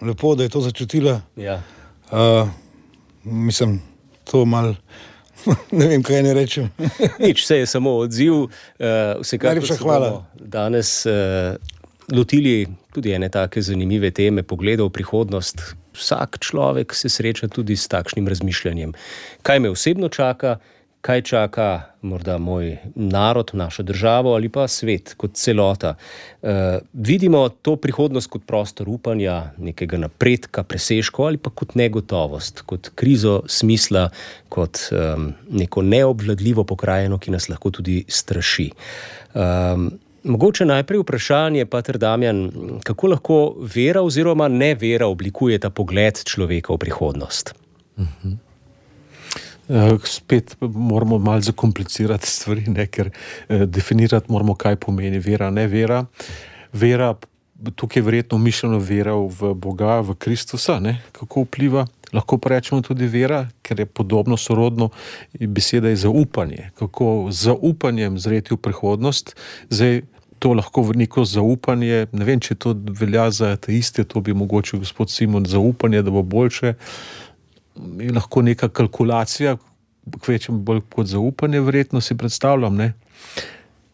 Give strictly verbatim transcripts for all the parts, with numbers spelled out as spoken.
lepo, da je to začutila. Ja. Uh, mislim, to mal, ne vem, kaj ne rečem. Nič, vse je samo odziv. Uh, Vsekakor se bomo danes uh, lotili tudi ene take zanimive teme, pogleda v prihodnost. Vsak človek se sreča tudi s takšnim razmišljanjem. Kaj me osebno čaka, kaj čaka morda moj narod, našo državo ali pa svet kot celota. Uh, vidimo to prihodnost kot prostor upanja, nekega napredka, presežkov ali pa kot negotovost, kot krizo smisla, kot um, neko neobvladljivo pokrajino, ki nas lahko tudi straši. Um, mogoče najprej vprašanje, pater Damjan, kako lahko vera oziroma nevera oblikuje ta pogled človeka v prihodnost? Mhm. Spet moramo malo zakomplicirati stvari, ne, ker eh, definirati moramo, kaj pomeni vera, ne vera. Vera, tukaj je verjetno mišljeno vera v Boga, v Kristusa, ne, kako vpliva. Lahko pa rečemo tudi vera, ker je podobno sorodno, beseda je zaupanje. Kako z zaupanjem zreti v prihodnost. Zdaj, to lahko v neko zaupanje, ne vem, če to velja za ateiste, to bi mogoče gospod Simon, zaupanje, da bo boljše. Je lahko neka kalkulacija, kvečem bolj kot zaupanje, verjetno si predstavljam, ne?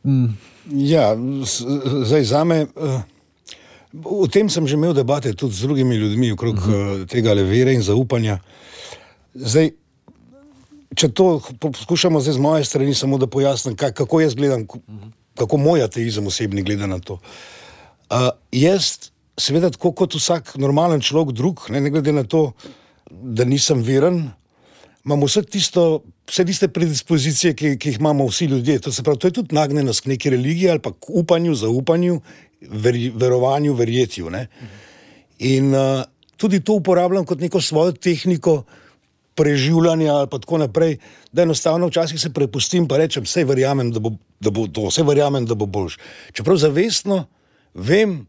Mm. Ja, zdaj zame, uh, o tem sem že imel debate tudi z drugimi ljudmi okrog uh-huh. tega vere in zaupanja. Zdaj, če to poskušamo zdaj z moje strani samo da pojasnim, kako jaz gledam, uh-huh. kako moj ateizem osebni gleda na to. Uh, jaz, seveda tako kot vsak normalen človek drug, ne, ne glede na to, da nisem veren, imamo vse tisto, vse tiste predispozicije, ki, ki jih imamo vsi ljudje. To se pravi, to je tudi nagnjenost k neki religiji ali pa k upanju, zaupanju, ver, verovanju, verjetju. Ne? In uh, tudi to uporabljam kot neko svojo tehniko preživljanja ali pa tako naprej, da enostavno včasih se prepustim pa rečem, sej verjamem, da bo, da bo to, sej verjamem, da bo boljš. Čeprav zavestno vem,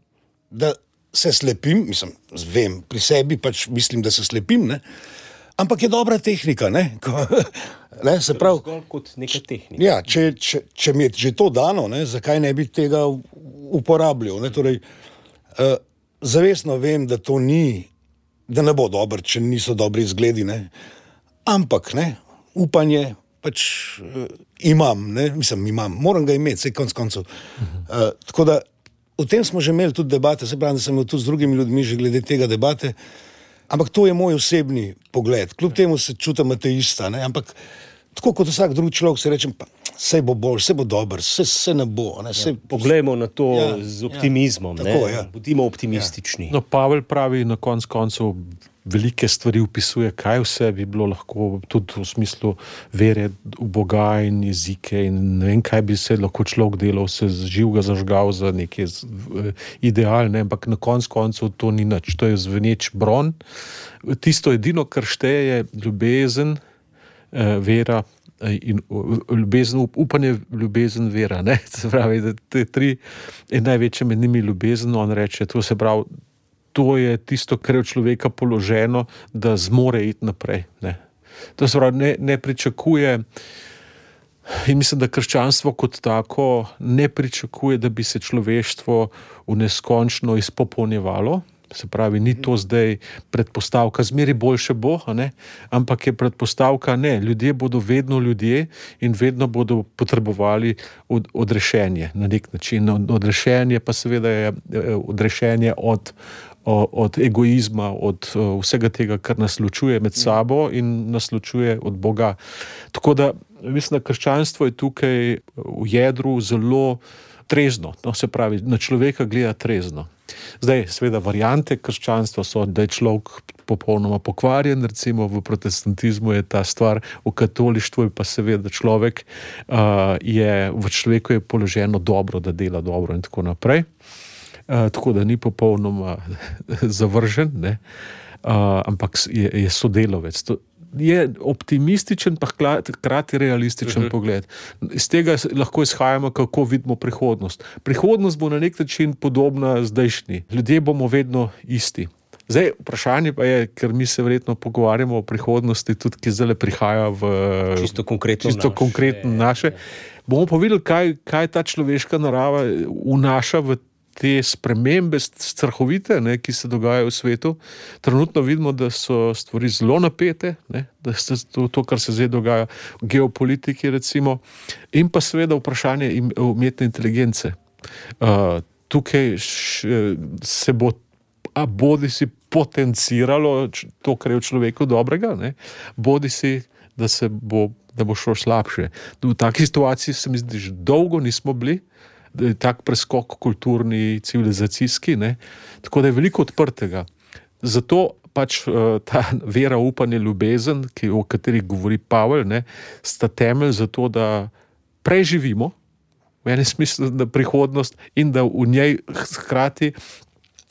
da se slepim, mislim, vem, pri sebi pač mislim, da se slepim, ne? Ampak je dobra tehnika, ne? Ko, ne? Se pravi, zgolj kot neka tehnika. Ja, če, če, če mi je že to dano, ne? Zakaj ne bi tega uporabljal, ne? Torej, uh, zavestno vem, da to ni, da ne bo dobro, če niso dobri izgledi, ne? Ampak, ne, upanje pač uh, imam, ne? Mislim, imam, moram ga imeti, vse konc koncev. Uh, tako da o tem smo že imeli tudi debate, se pravi, da sem imel tudi z drugimi ljudmi že glede tega debate, ampak to je moj osebni pogled. Kljub temu se čutim ateista, ne? Ampak tako kot vsak drugi človek se rečem, pa sej bo bolj, sej bo dober, sej se ne bo. Ne? Sej, ja, poglejmo na to ja, z optimizmom, ja, ne? Tako, ja. Budimo optimistični. No, Pavel pravi na konc koncev, velike stvari opisuje, kaj vse bi bilo lahko, tudi v smislu vere v Boga in jezike in ne vem, kaj bi se lahko človek delal, se živega zažgal za neke idealne, ampak na konc koncev to ni nič. To je zveneč bron. Tisto edino, kar šteje, je ljubezen, vera in ljubezen, upanje, ljubezen, vera. Ne? Se pravi, da te tri je največje med njimi ljubezen, on reče, to se pravi, to je tisto, kar je v človeka položeno, da zmore iti naprej. Ne. To se pravi, ne, ne pričakuje, in mislim, da krščanstvo kot tako ne pričakuje, da bi se človeštvo v neskončno izpopolnjevalo. Se pravi, ni to zdaj predpostavka, zmeri boljše bo, a ne? Ampak je predpostavka, ne, ljudje bodo vedno ljudje in vedno bodo potrebovali od, odrešenje na nek način. Odrešenje pa seveda je odrešenje od od egoizma, od vsega tega, kar nas ločuje med sabo in nas ločuje od Boga. Tako da, mislim, da krščanstvo je tukaj v jedru zelo trezno, no, se pravi, na človeka gleda trezno. Zdaj, seveda, variante krščanstva so, da je človek popolnoma pokvarjen, recimo v protestantizmu je ta stvar, v katolištvu je pa seveda človek, uh, je, v človeku je položeno dobro, da dela dobro in tako naprej. Uh, tako da ni popolnoma zavržen, ne? Uh, ampak je, je sodelovec. To je optimističen, pa hkrati realističen uh-huh. pogled. Iz tega lahko izhajamo, kako vidimo prihodnost. Prihodnost bo na nek način podobna zdajšnji. Ljudje bomo vedno isti. Zdaj, vprašanje pa je, ker mi se verjetno pogovarjamo o prihodnosti, tudi ki zdaj prihaja v čisto konkretno čisto naše. Konkretno naše. Bomo pa videli, kaj, kaj ta človeška narava vnaša v te spremembe strahovite, ne, ki se dogajajo v svetu. Trenutno vidimo, da so stvari zelo napete, ne, da se to, to, kar se zdaj dogaja v geopolitiki recimo, in pa seveda vprašanje umetne inteligence. Uh, tukaj š, se bo a bodi si potenciralo to, kar je v človeku dobrega, ne, bodi si, da se bo da bo šlo slabše. V taki situaciji se mi zdi, že dolgo nismo bili, da je tak preskok kulturni, civilizacijski, ne? Tako da je veliko odprtega. Zato pač ta vera, upanje, ljubezen, ki, o kateri govori Pavel, ne, sta temelj za to, da preživimo v enem smislu na prihodnost in da v njej hkrati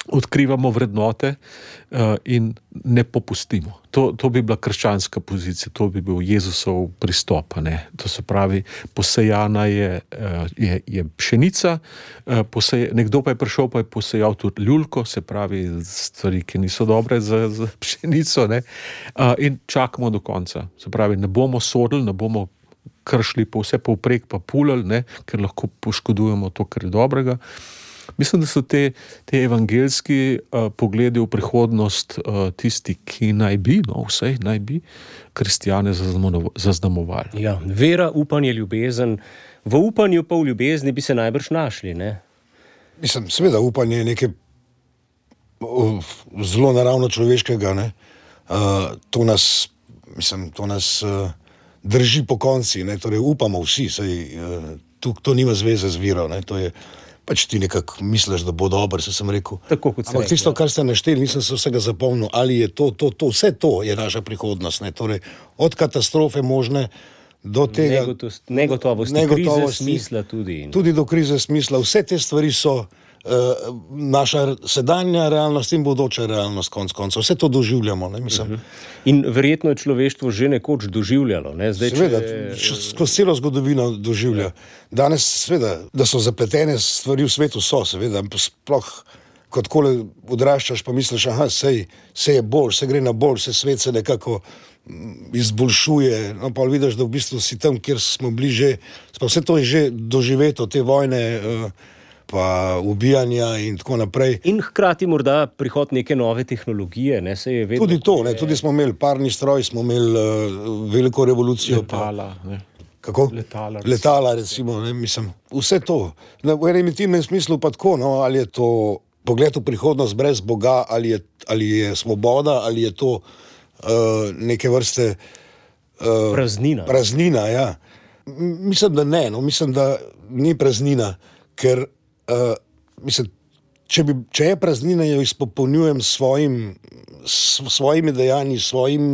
odkrivamo vrednote uh, in ne popustimo. To, to bi bila krščanska pozicija, to bi bil Jezusov pristop. Ne? To se pravi, posejana je, uh, je, je pšenica, uh, posej, nekdo pa je prišel, pa je posejal tudi ljulko, se pravi stvari, ki niso dobre za, za pšenico, ne? Uh, in čakamo do konca. Se pravi, ne bomo sodili, ne bomo kršili po vse povprek, pa pulali, ne? Ker lahko poškodujemo to, kar je dobrega. Mislim, da so te, te evangeljski uh, pogledi v prihodnost uh, tisti, ki naj bi, no vsej naj bi, kristjane zaznamovali. Ja, vera, upanje, ljubezen. V upanju pa v ljubezni bi se najbrž našli, ne? Mislim, seveda, upanje je nekaj zelo naravno človeškega, ne? Uh, to nas, mislim, to nas uh, drži po konci, ne? Torej upamo vsi, saj uh, to, to nima zveze z vero, ne? To je pač ti nekako misliš, da bo dobro, se sem rekel. Tako kot ampak tisto, kar ste našteli, nisem se vsega zapomnil, ali je to, to, to, vse to je naša prihodnost, ne? Torej, od katastrofe možne do tega... Negotovosti, negotovosti, krize smisla tudi. Tudi do krize smisla. Vse te stvari so uh, naša sedanja realnost in bodoča realnost, konc konca. Vse to doživljamo, ne, mislim. Uh-huh. In verjetno je človeštvo že nekoč doživljalo, ne? Zdaj, seveda, če... skozi celo zgodovino doživlja. Danes, seveda, da so zapletene stvari v svetu, so, seveda, sploh kot kole odraščaš, pa misliš, aha, sej, sej je bolj, se gre na bolj, se svet se nekako izboljšuje, no pa vidiš, da v bistvu si tam, kjer smo bili že, pa vse to je že doživeto, te vojne, pa ubijanja in tako naprej. In hkrati morda prihod neke nove tehnologije, ne, se je vedno... Tudi to, ne, tudi smo imeli parni stroj, smo imeli uh, veliko revolucijo. Letala, ne. Kako? Letala. Letala, recimo, ne, mislim, vse to. V enem intimnem smislu pa tako, no, ali je to pogled v prihodnost brez Boga, ali je, ali je svoboda, ali je to uh, neke vrste... Uh, praznina. Praznina, ja. Mislim, da ne, no, mislim, da ni praznina, ker Uh, mislim, če, bi, če je praznina, jo izpopolnjujem svojim, s svojimi dejanji, svojim,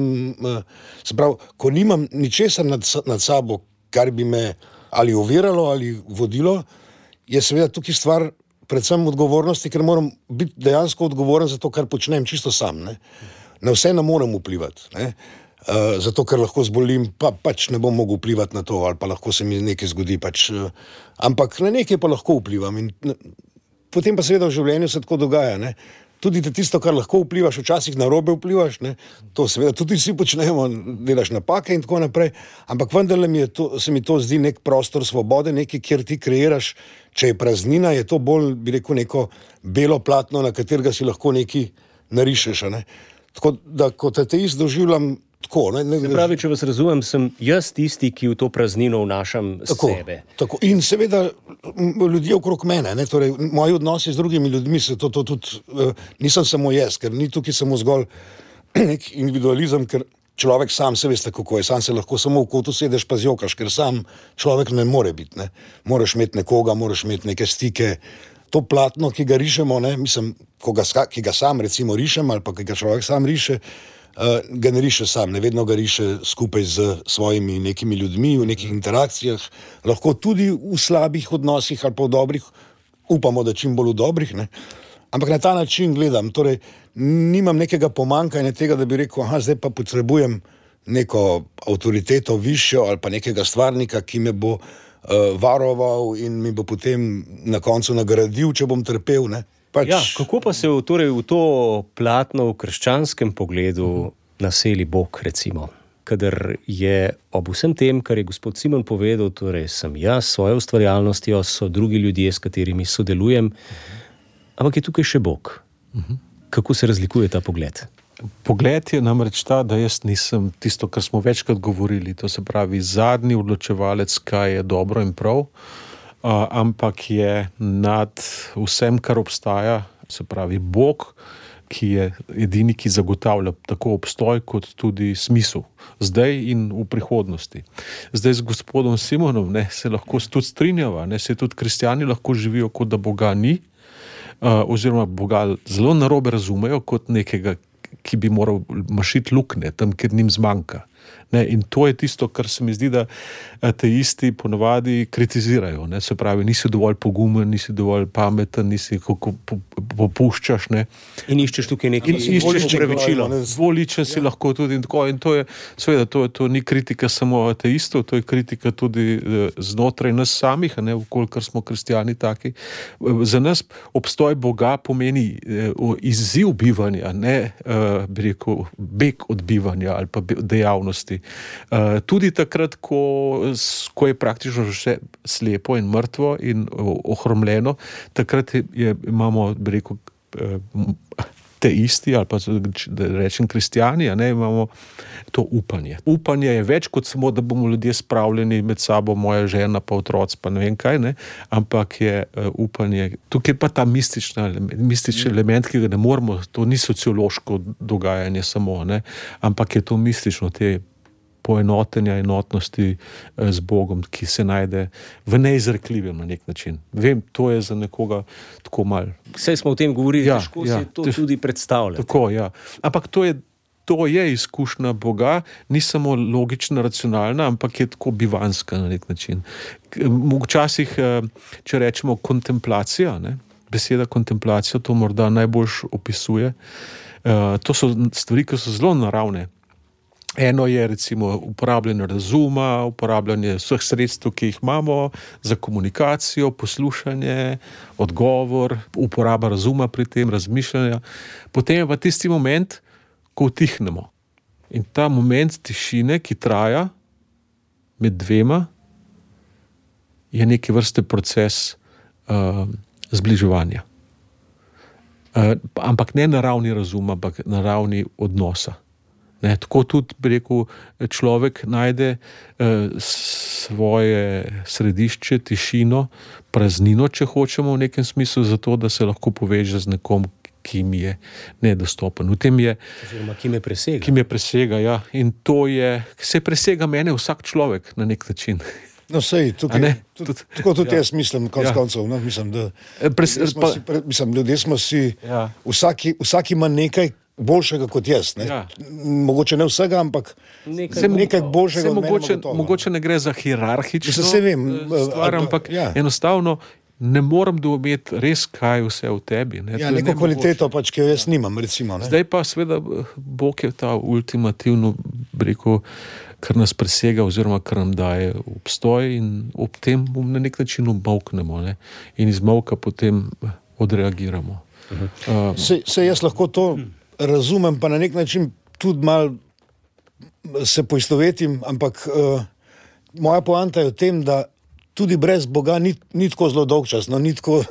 uh, se pravi, ko nimam ničesar nad, nad sabo, kar bi me ali oviralo ali vodilo, je seveda tukaj stvar predvsem odgovornosti, ker moram biti dejansko odgovoren za to, kar počnem čisto sam. Ne? Na vse ne morem vplivati. Ne? Uh, zato, ker lahko zbolim, pa pač ne bom mogel vplivati na to, ali pa lahko se mi nekaj zgodi, pač, uh, ampak na nekaj pa lahko vplivam. In, ne, potem pa seveda v življenju se tako dogaja. Ne? Tudi tisto, kar lahko vplivaš, včasih narobe vplivaš, ne? To seveda tudi vsi počnemo, delaš napake in tako naprej, ampak vendarle mi je to, se mi to zdi nek prostor svobode, nekaj, kjer ti kreiraš, če je praznina, je to bolj, bi rekel, neko belo platno, na katerega si lahko nekaj narišeš. Ne? Tako da, kot ateist doživljam tako, ne, ne, se pravi, če vas razumem, sem jaz tisti, ki v to praznino vnašam tako, sebe. Tako. In seveda ljudje okrog mene, ne, torej moji odnosi z drugimi ljudmi, se to, to tudi, uh, nisem samo jaz, ker ni tukaj samo zgolj nek individualizem, ker človek sam se veste, kako je, sam se lahko samo v kotu sedeš pa zjokaš, ker sam človek ne more biti, ne. Moraš imeti nekoga, moraš imeti neke stike. To platno, ki ga rišemo, ne, mislim, ko ga, ki ga sam recimo rišem, ali pa ki ga človek sam riše, Uh, ga ne riše sam, ne vedno ga riše skupaj z svojimi nekimi ljudmi, v nekih interakcijah, lahko tudi v slabih odnosih ali pa v dobrih, upamo, da čim bolj v dobrih, ne? Ampak na ta način gledam, torej nimam nekega pomanjkanja tega, da bi rekel, aha, zdaj pa potrebujem neko avtoriteto višjo ali pa nekega stvarnika, ki me bo uh, varoval in mi bo potem na koncu nagradil, če bom trpel, ne? Pač... Ja, kako pa se v, torej, v to platno v krščanskem pogledu naseli Bog, recimo? Kadar je ob vsem tem, kar je gospod Simon povedal, torej sem jaz s svojo ustvarjalnostjo, so drugi ljudje, s katerimi sodelujem, Ampak je tukaj še Bog. Uh-huh. Kako se razlikuje ta pogled? Pogled je namreč ta, da jaz nisem tisto, kar smo večkrat govorili, to se pravi zadnji odločevalec, kaj je dobro in prav, uh, ampak je nad vsem, kar obstaja, se pravi Bog, ki je edini, ki zagotavlja tako obstoj, kot tudi smisel, zdaj in v prihodnosti. Zdaj z gospodom Simonom ne, se lahko tudi strinjava, ne, se tudi kristjani lahko živijo, kot da Boga ni, uh, oziroma Boga zelo narobe razumejo kot nekega, ki bi moral mašiti luknje tam, kjer njim zmanjka. Ne, in to je tisto, kar se mi zdi, da ateisti ponavadi kritizirajo. Ne, se pravi, nisi dovolj pogumen, nisi dovolj pameten, nisi kako popuščaš. Ne. In iščeš tukaj nekaj upravičilo. Dvoličen si ja. Lahko tudi in tako. In to je, seveda, to, to ni kritika samo ateistov, to je kritika tudi znotraj nas samih, ne, kolikor smo kristjani taki. Za nas obstoj Boga pomeni izziv bivanja, ne bi rekel, beg od bivanja ali pa dejavnosti. Uh, tudi takrat, ko, ko je praktično še slepo in mrtvo in ohromljeno, takrat je, je, imamo, bi rekel, te isti, ali pa da rečem kristjani, a ne, imamo to upanje. Upanje je več kot samo, da bomo ljudje spravljeni med sabo, moja žena, pa otroci, pa ne vem kaj, ne, ampak je uh, upanje. Tukaj je pa ta mistična, mistični element, ki ga ne moramo, to ni sociološko dogajanje samo, ne, ampak je to mistično, te poenotenja, enotnosti z Bogom, ki se najde v neizrekljivem na nek način. Vem, to je za nekoga tako mal. Vse smo o tem govorili, ja, težko ja, si to tež... tudi predstavljati. Tako, ja. Ampak to je, to je izkušnja Boga, ni samo logična, racionalna, ampak je tako bivanska na nek način. Včasih, če rečemo kontemplacija, ne, beseda kontemplacija to morda najbolj opisuje, to so stvari, ki so zelo naravne. Eno je recimo uporabljanje razuma, uporabljanje vseh sredstev, ki jih imamo za komunikacijo, poslušanje, odgovor, uporaba razuma pri tem, razmišljanja. Potem je pa tisti moment, ko utihnemo. In ta moment tišine, ki traja med dvema, je neke vrste proces uh, zbliževanja. Uh, ampak ne na ravni razuma, ampak na ravni odnosa. Ne, tako tudi, bi rekel, človek najde eh, svoje središče, tišino, praznino, če hočemo v nekem smislu, zato, da se lahko poveže z nekom, ki mi je nedostopen. V tem je, oziroma, ki me presega. Ki me presega, ja. In to je, se presega mene vsak človek na nek način. No, sej, tukaj, tudi, tako tudi ja. Jaz mislim, konc ja. koncev, no, mislim, da Pres, ljudje smo pa, si, mislim, ljudje smo si ja. vsaki, vsaki ima nekaj boljšega kot jaz. Ne? Ja. Mogoče ne vsega, ampak nekaj, se, nekaj boljšega. Se mogoče, mogoče ne gre za hierarhično se vem, stvar, ampak ja. enostavno ne morem doumeti res, kaj vse v tebi. Ne? Ja, neko kvaliteto pač, ki jo jaz nimam, recimo. Ne? Zdaj pa seveda Bog je ta ultimativno, rekel, kar nas presega oziroma kar nam daje obstoj in ob tem na nek način obmolknemo, ne? In iz molka potem odreagiramo. Uh-huh. Uh, se, se jaz lahko to razumem, pa na nek način tudi mal se poistovetim, ampak uh, moja poanta je v tem, da tudi brez Boga ni, ni tako zelo dolgčas, no, ni, tako,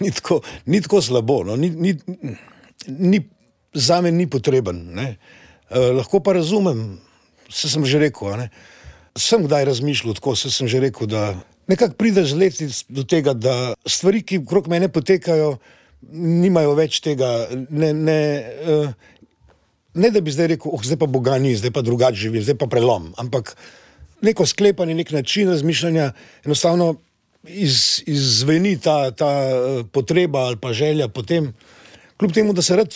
ni, tako, ni tako slabo, no, ni, ni, ni, zame ni potreben. Ne. Uh, lahko pa razumem, se sem že rekel, ne. Sem kdaj razmišljal tako, se sem že rekel, da nekako prideš z leti do tega, da stvari, ki okrog mene potekajo, nimajo več tega, ne, ne, uh, ne da bi zdaj rekel, oh, zdaj pa Boga ni, zdaj pa drugače živim, zdaj pa prelom, ampak neko sklepanje, nek način razmišljanja, enostavno iz, izveni ta, ta potreba ali pa želja potem, kljub temu, da se rad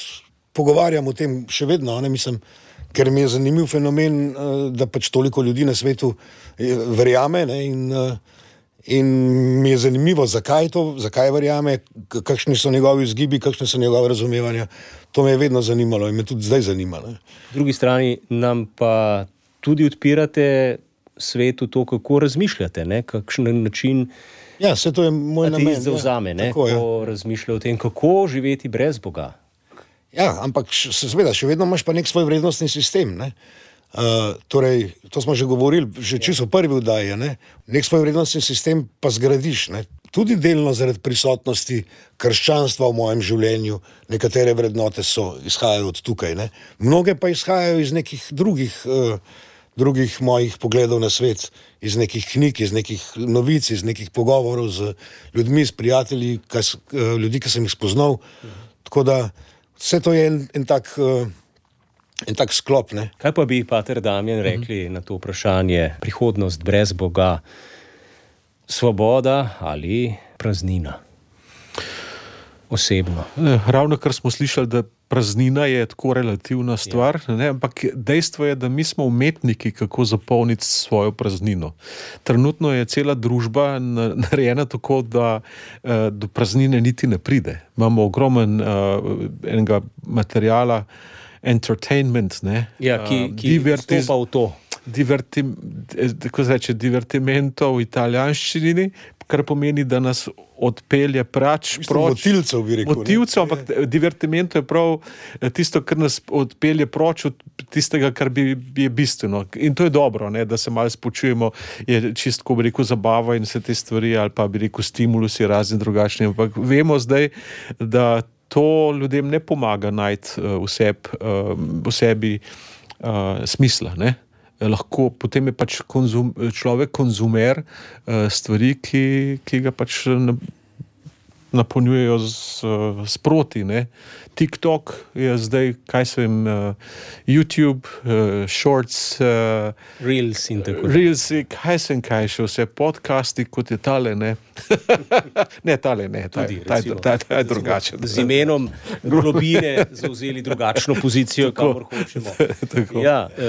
pogovarjam o tem še vedno, ne, mislim, ker mi je zanimiv fenomen, uh, da pač toliko ljudi na svetu verjame, ne, in uh, In mi je zanimivo, zakaj to, zakaj verjame, kakšni so njegovi vzgibi, kakšne so njegove razumevanja. To me je vedno zanimalo in me tudi zdaj zanima. Ne. V drugi strani nam pa tudi odpirate svetu to, kako razmišljate, ne? Kakšen način ja, se to je moj namen. Ateist zavzame, ne? Tako, ko ja. razmišlja o tem, kako živeti brez Boga. Ja, ampak seveda, še vedno imaš pa nek svoj vrednostni sistem, ne. Uh, torej, to smo že govorili, že čisto prvi vdaji, ne? Nek svoj vrednostni sistem pa zgradiš, ne? tudi delno zaradi prisotnosti krščanstva v mojem življenju, nekatere vrednote so, izhajajo od tukaj, ne. Mnoge pa izhajajo iz nekih drugih, uh, drugih mojih pogledov na svet, iz nekih knjig, iz nekih novic, iz nekih pogovorov z ljudmi, s prijatelji, kas, uh, ljudi, ki sem jih spoznal. Tako da vse to je en, en tak... Uh, En tak sklop, ne. Kaj pa bi pater Damjan rekli mm-hmm. na to vprašanje, prihodnost brez Boga, svoboda ali praznina? Osebno. Ravno kar smo slišali, da praznina je tako relativna stvar, ja. ne, ampak dejstvo je, da mi smo umetniki, kako zapolniti svojo praznino. Trenutno je cela družba narejena tako, da do praznine niti ne pride. Imamo ogromen uh, enega materijala, entertainment, ne? Ja, ki, ki Divertiz, stopa v to. Diverti, tako se reče, divertimento v italijanščini, kar pomeni, da nas odpelje prač, Mislim, proč. Motilcev, bi rekel. Motilcev, ampak je. Divertimento je prav tisto, kar nas odpelje proč od tistega, kar bi, je bistveno. In to je dobro, ne, da se malo spočujemo, je čistko, bi rekel, zabava in vse te stvari, ali pa bi rekel, stimulusi razni drugačni, ampak vemo zdaj, da to ljudem ne pomaga najti uh, v, seb, uh, v sebi uh, smisla. Ne? Lahko, potem je pač konzum, človek konzumer uh, stvari, ki, ki ga pač napolnjujejo z sproti. Ne? TikTok je zdaj, kaj se vem, uh, YouTube, uh, Shorts, uh, Reels in tako. Reels, kaj sem kaj še, vse podcasti, kot je tale, ne? ne, tale ne, ta, Tudi, ta, recimo, ta, ta, ta je drugačen. Z imenom globine zauzeli drugačno pozicijo, kamor hočemo. tako. Ja, uh,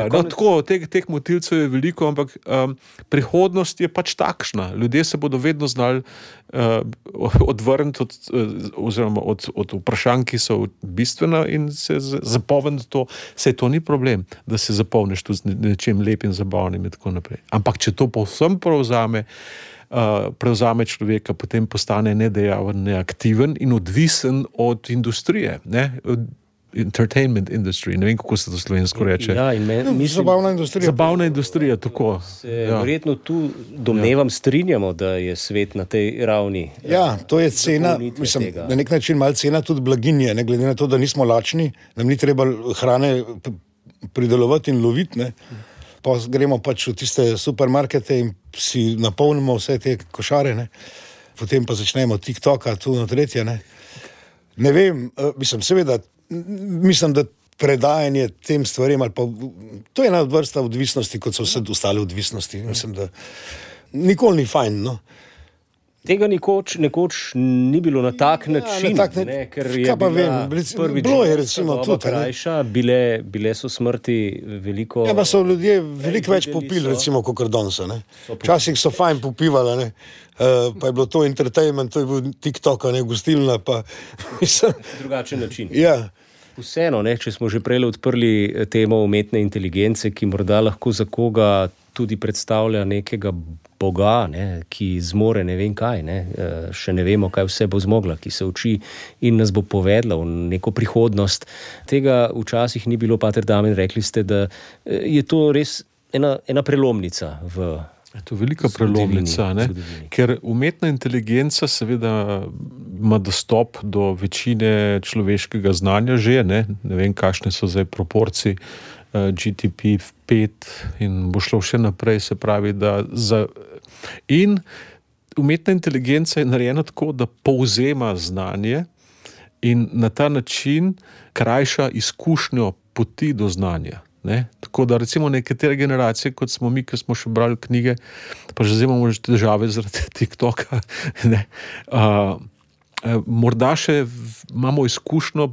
no, konec... tako, teh, teh motilcev je veliko, ampak um, prihodnost je pač takšna. Ljudje se bodo vedno znali uh, odvrniti od, oziroma od, od vprašanj, ki so bistvena in se zapolniti to. Sej to ni problem, da se zapolniš tu z nečim lepim, zabavnim in tako naprej. Ampak če to povsem prevzame, uh, prevzame človeka, potem postane nedejaven, neaktiven in odvisen od industrije, ne? Entertainment industry, ne vem, kako se to slovensko reče. Ja, in me, mislim, zabavna industrija. Zabavna industrija, tako. Se ja. Verjetno tu domnevam ja. Strinjamo, da je svet na tej ravni. Ja, to je cena, mislim, tega. Na nek način malo cena tudi blaginje, ne glede na to, da nismo lačni, nam ni treba hrane pridelovati in loviti, ne. Pa gremo pač v tiste supermarkete in si napolnimo vse te košare, ne. Potem pa začnemo TikToka, tu na tretje, ne. Ne vem, mislim, seveda, mislim, da predajanje tem stvarem, ali pa, to je ena od vrsta odvisnosti, kot so vse ostale odvisnosti. Mislim, da nikoli ni fajn, no. Tega nikoč, nekoč ni bilo na tak ja, način, na tak ne, ne, ker je kaj pa bila vem, prvič bilo je recimo tudi, krajša, bile, bile so smrti veliko... Ja, pa so ljudje veliko več popili, recimo, kot danes, ne. Včasih so fajn popivali, ne. Uh, pa je bilo to entertainment, to je bil TikTok, ne, gostilna, pa mislim... Drugačen način. Ja. Vseeno, ne, če smo že prej odprli temo umetne inteligence, ki morda lahko za koga tudi predstavlja nekega boga, ne, ki zmore ne vem kaj, ne, še ne vemo, kaj vse bo zmogla, ki se uči in nas bo povedla v neko prihodnost. Tega včasih ni bilo, pater Damjan, rekli ste, da je to res ena, ena prelomnica v Je to velika prelomnica, ne? Ker umetna inteligenca seveda ima dostop do večine človeškega znanja že, ne, ne vem, kakšne so zdaj proporcije, uh, G T P pet in bo šlo še naprej, se pravi, da za... In umetna inteligenca je narejena tako, da povzema znanje in na ta način krajša izkušnjo poti do znanja. Ne? Tako da recimo nekatere generacije, kot smo mi, ki smo še brali knjige, pa že zdaj imamo že težave zaradi TikToka, ne? Uh, morda še v, imamo izkušnjo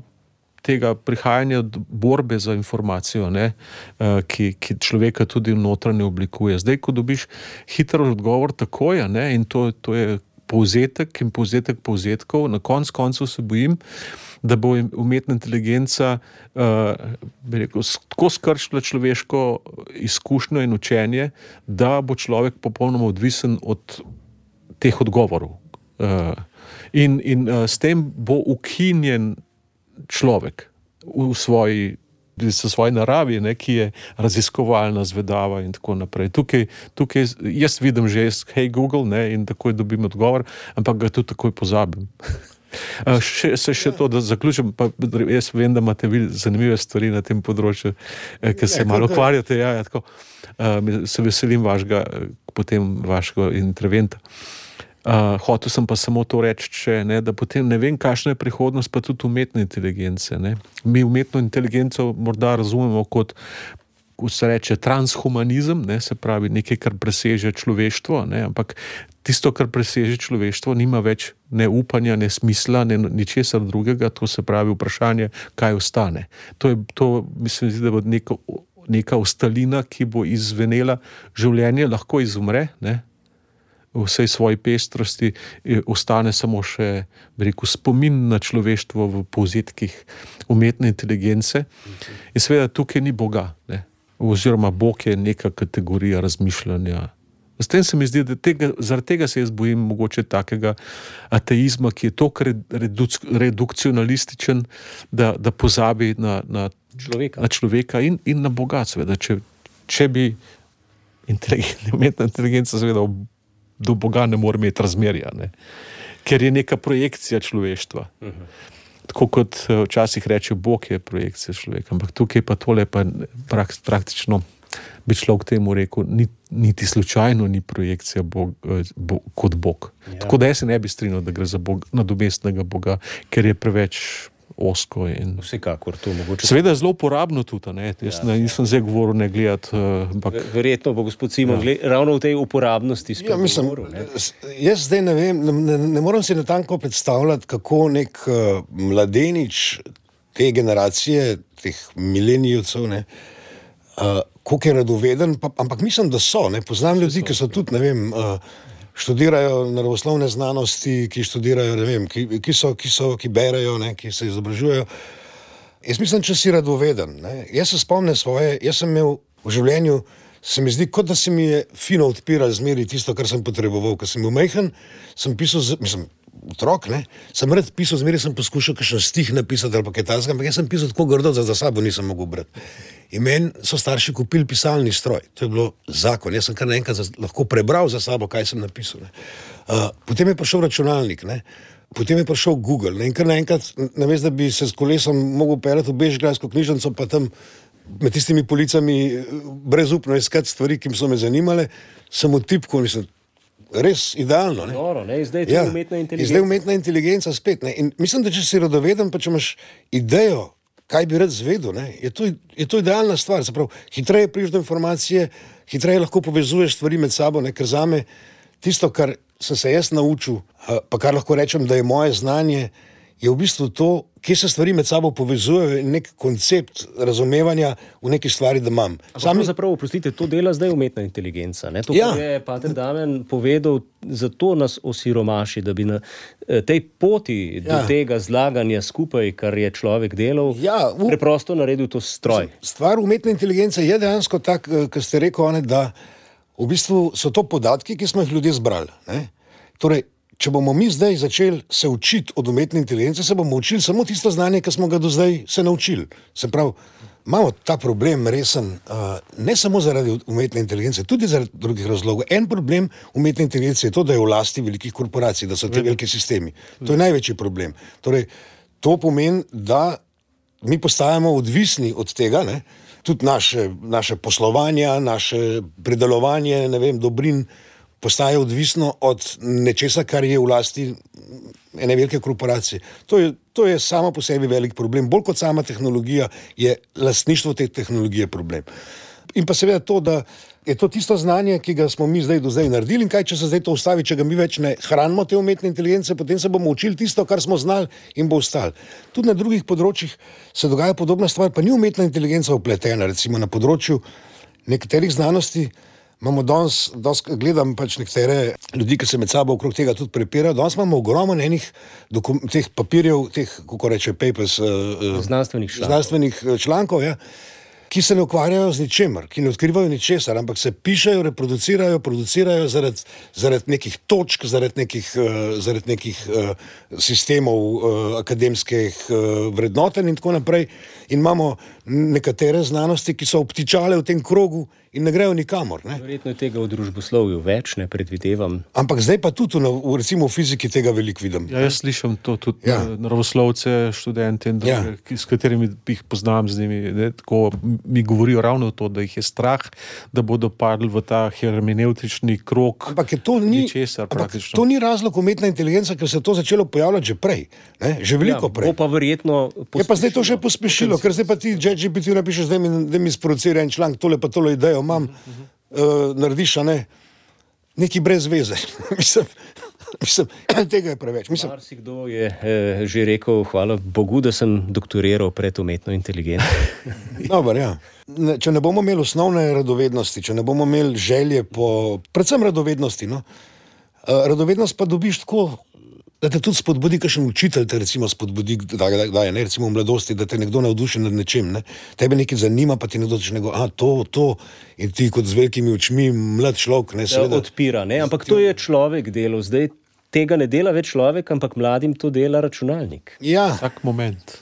tega prihajanja borbe za informacijo, ne? Uh, ki, ki človeka tudi notranje oblikuje. Zdaj, ko dobiš hiter odgovor takoj, ne? In to, to je povzetek in povzetek povzetkov, na konc koncev se bojim, da bo umetna inteligenca uh, bi rekel, tako skrčila človeško izkušnjo in učenje, da bo človek popolnoma odvisen od teh odgovorov. Uh, in in uh, s tem bo ukinjen človek v svoji s svoje naravi, ne, ki je raziskovalna, zvedava in tako naprej. Tukaj, tukaj jaz vidim že, hej Google, ne, in takoj dobim odgovor, ampak ga tudi takoj pozabim. Še, se še to, da zaključim, pa jaz vem, da imate zanimive stvari na tem področju, ker se malo ukvarjate, ja, ja, tako, se veselim vašega, potem vašega interventa. Uh, hotel sem pa samo to reči, če, ne, da potem ne vem, kakšna je prihodnost pa tudi umetne inteligence. Ne. Mi umetno inteligenco morda razumemo kot, ko se reče, transhumanizem, ne, se pravi nekaj, kar preseže človeštvo, ne, ampak tisto, kar preseže človeštvo, nima več ne upanja, ne smisla, ne ničesar drugega, to se pravi vprašanje, kaj ostane. To je, to mislim, da bo neka, neka ostalina, ki bo izzvenela, življenje lahko izumre, ne, v vsej svoji pestrosti, ostane samo še, bi rekel, spomin na človeštvo v povzetkih umetne inteligence. In seveda tukaj ni Boga, ne? Oziroma Bog je neka kategorija razmišljanja. S tem se mi zdi, da tega, zaradi tega se jaz bojim mogoče takega ateizma, ki je toliko reduc, redukcionalističen, da, da pozabi na, na, človeka. na človeka in, in na Boga, seveda. Če, če bi inteligent, umetna inteligenca seveda do Boga ne more imeti razmerja, ne? Ker je neka projekcija človeštva. Uh-huh. Tako kot včasih reče, Bog je projekcija človeka, ampak tukaj pa tole pa prak, praktično bi človek temu rekel, niti slučajno ni projekcija Bog, bo, kot Bog. Ja. Tako da jaz se ne bi strinjal, da gre za Bog, nadomestnega Boga, ker je preveč osko. In... Vsekakor to mogoče. Seveda je zelo uporabno tudi, ne? Jaz ja, ne, nisem zdaj govoril ne gledati. Uh, ampak... Verjetno bo gospod Simon ja. gled, ravno v tej uporabnosti ja, mislim, govoril, ne? Jaz zdaj ne vem, ne, ne moram si natanko predstavljati, kako nek uh, mladenič te generacije, teh milenijevcev, ne, uh, koliko je radoveden, pa, ampak mislim, da so, ne, poznam ljudi, ki so tudi, ne vem, uh, študirajo naravoslovne znanosti, ki študirajo, ne vem, ki, ki so, ki so, ki berejo, ne, ki se izobražujejo. Jaz mislim, če si radoveden, ne. Jaz se spomnim svoje, jaz sem imel v življenju, se mi zdi, kot da se mi je fino odpiral zmeri tisto, kar sem potreboval. Ko sem bil majhen, sem pisal, mislim, otrok, ne, sem rad pisal, zmeri sem poskušal kakšen stih napisati ali pa kaj takega, ampak jaz sem pisal tako grdo, da za sabo nisem mogel brati. In meni so starši kupili pisalni stroj. To je bilo zakon. Jaz sem kar naenkrat lahko prebral za sabo, kaj sem napisal. Ne. Uh, potem je prišel računalnik, ne. Potem je prišel Google. Ne. In kar naenkrat, namesto da bi se s kolesom mogel peljati v Bežigrajsko knjižnico, pa tam med tistimi policami brezupno iskati stvari, ki so me zanimale, sem odtipkal, mislim, res idealno. Ne. Doro, ne. Zdaj je ja. umetna inteligenca. Zdaj umetna inteligenca spet. Ne. In mislim, da če si radoveden, pa če imaš idejo, kaj bi rad zvedel, ne, je to, je to idealna stvar. Zaprav, hitreje prideš do informacije, hitreje lahko povezuješ stvari med sabo, ne, ker zame tisto, kar sem se jaz naučil, pa kar lahko rečem, da je moje znanje, je v bistvu to, kje se stvari med sabo povezujejo in nek koncept razumevanja v neki stvari, da imam. Sami... Zapravo, oprostite, to dela zdaj umetna inteligenca. Ne? To, ja. kar je pater Damjan povedal, zato nas osiromaši, da bi na tej poti ja. do tega zlaganja skupaj, kar je človek delal, ja, v... preprosto naredil to stroj. Stvar umetne inteligence je dejansko tak, kar ste rekel, da v bistvu so to podatki, ki smo jih ljudje zbrali. Ne? Torej, če bomo mi zdaj začeli se učiti od umetne inteligence, se bomo učili samo tisto znanje, ki smo ga do zdaj se naučili. Se pravi, imamo ta problem resen, uh, ne samo zaradi umetne inteligence, tudi zaradi drugih razlogov. En problem umetne inteligence je to, da je v lasti velikih korporacij, da so te veliki sistemi. To je največji problem. Torej, to pomeni, da mi postajamo odvisni od tega, ne? Tudi naše, naše poslovanja, naše predelovanje, ne vem, dobrin, postaje odvisno od nečesa, kar je v lasti ene velike korporacije. To je, to je samo po sebi velik problem. Bolj kot sama tehnologija je lastništvo te tehnologije problem. In pa seveda to, da je to tisto znanje, ki ga smo mi zdaj do zdaj naredili in kaj, če se zdaj to ustavi, če ga mi več ne hranimo te umetne inteligence, potem se bomo učili tisto, kar smo znali in bo ostalo. Tudi na drugih področjih se dogaja podobna stvar, pa ni umetna inteligenca vpletena, recimo na področju nekaterih znanosti. Imamo danes, danes gledam pač nekatere ljudi, ki se med sabo okrog tega tudi prepirajo. Danes imamo ogromno enih dokum, teh papirjev, teh, kako reče, papers, uh, znanstvenih člankov, znanstvenih člankov ja, ki se ne ukvarjajo z ničemer, ki ne odkrivajo ničesar, ampak se pišejo, reproducirajo, producirajo zaradi, zaradi nekih točk, zaradi nekih, uh, zaradi nekih uh, sistemov uh, akademskih uh, vrednotenj in tako naprej. In imamo nekatere znanosti, ki so obtičale v tem krogu in ne grejo nikamor. Ne? Verjetno je tega v družboslovju več, ne predvidevam. Ampak zdaj pa tudi v, recimo v fiziki tega veliko vidim. Ja, jaz slišim to tudi ja. naravoslovce, študente, ja. s katerimi jih poznam, z njimi, ne, tako mi govorijo ravno to, da jih je strah, da bodo padli v ta hermeneutični krog. Ampak to ni, ničesar, ampak to ni razlog umetna inteligenca, ker se je to začelo pojavljati že prej, ne? Že veliko ja, prej. Pa verjetno je pa zdaj to še pospešilo, ker zdaj pa ti ChatGPT napišeš, da mi, da mi sproducira en članek, tole pa tole idejo imam, uh-huh. uh, narediš, a ne, neki brez veze. mislim, mislim, tega je preveč. Mislim. Marsikdo je eh, že rekel, hvala Bogu, da sem doktoriral pred umetno inteligenco. Dobar, ja. Ne, če ne bomo imeli osnovne radovednosti, če ne bomo imeli želje po, predvsem radovednosti, no, uh, radovednost pa dobiš tako, da te tudi spodbudi, kakšen učitelj te recimo spodbudi, da, da, da je, ne, recimo v mladosti, da te nekdo navduši nad nečem, ne. Tebe nekaj zanima, pa ti nekdo začne nego, a to, to, in ti kot z velikimi očmi mlad človek, ne, seveda. Odpira, ne, ampak to je človek delal, zdaj tega ne dela več človek, ampak mladim to dela računalnik. Ja. Vsak moment.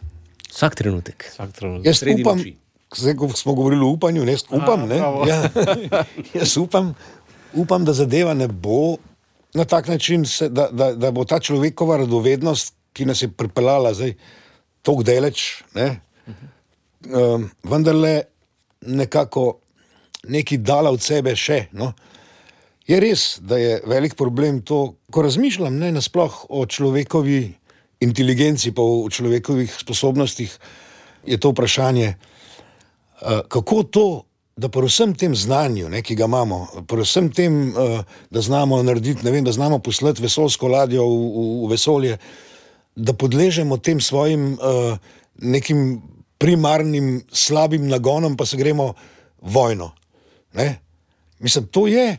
Vsak trenutek. Vsak trenutek. Jaz upam, zdaj, ko smo govorili o upanju, ne, upam, a, ne, ja. Jaz upam, upam, da zadeva ne bo na tak način, se, da, da, da bo ta človekova radovednost, ki nas je pripeljala zdaj toliko daleč, ne, uh-huh. um, vendarle nekako nekaj dala od sebe še. No. Je res, da je velik problem to, ko razmišljam ne, nasploh o človekovi inteligenci, pa o človekovih sposobnostih, je to vprašanje, uh, kako to, da po vsem tem znanju, ne, ki ga imamo, po vsem tem, uh, da znamo narediti, ne vem, da znamo poslati vesoljsko ladjo v, v, v vesolje, da podležemo tem svojim uh, nekim primarnim slabim nagonom, pa se gremo vojno. Ne? Mislim, to je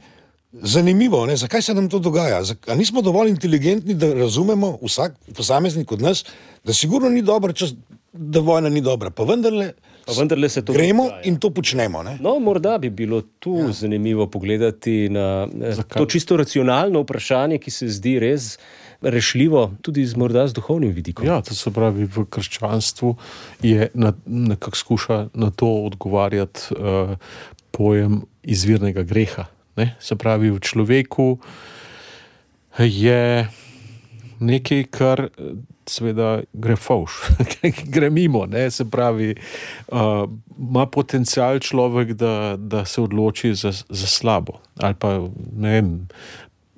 zanimivo, ne? Zakaj se nam to dogaja? A nismo dovolj inteligentni, da razumemo vsak posameznik od nas, da sigurno ni dobro, čas, da vojna ni dobra, pa vendarle Pa vendarle se to gremo dogaja. In to počnemo. Ne? No, morda bi bilo tu ja. zanimivo pogledati na Zakaj? to čisto racionalno vprašanje, ki se zdi res rešljivo, tudi z, morda z duhovnim vidikom. Ja, to se pravi, v krščanstvu je na, nekako skuša na to odgovarjati uh, pojem izvirnega greha. Ne? Se pravi, v človeku je nekaj, kar seveda gre fauš, gre mimo, ne, se pravi, uh, ima potencial človek, da, da se odloči za, za slabo, ali pa, ne vem,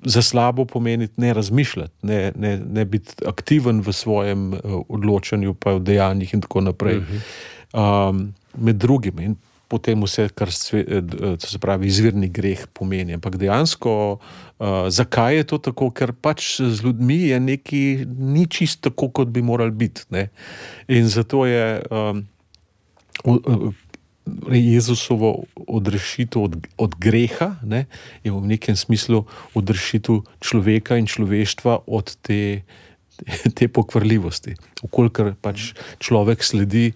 za slabo pomeni ne razmišljati, ne, ne, ne biti aktiven v svojem uh, odločanju, pa v dejanjih in tako naprej. Uh-huh. Um, med drugim in potem vse, kar se, se pravi, izvirni greh pomeni. Ampak dejansko, uh, zakaj je to tako? Ker pač z ljudmi je neki, ni čisto tako, kot bi morali biti. Ne? In zato je um, Jezusovo odrešitev od, od greha, ne, je v nekem smislu odrešitev človeka in človeštva od te, te pokvarljivosti. Vkolikor pač človek sledi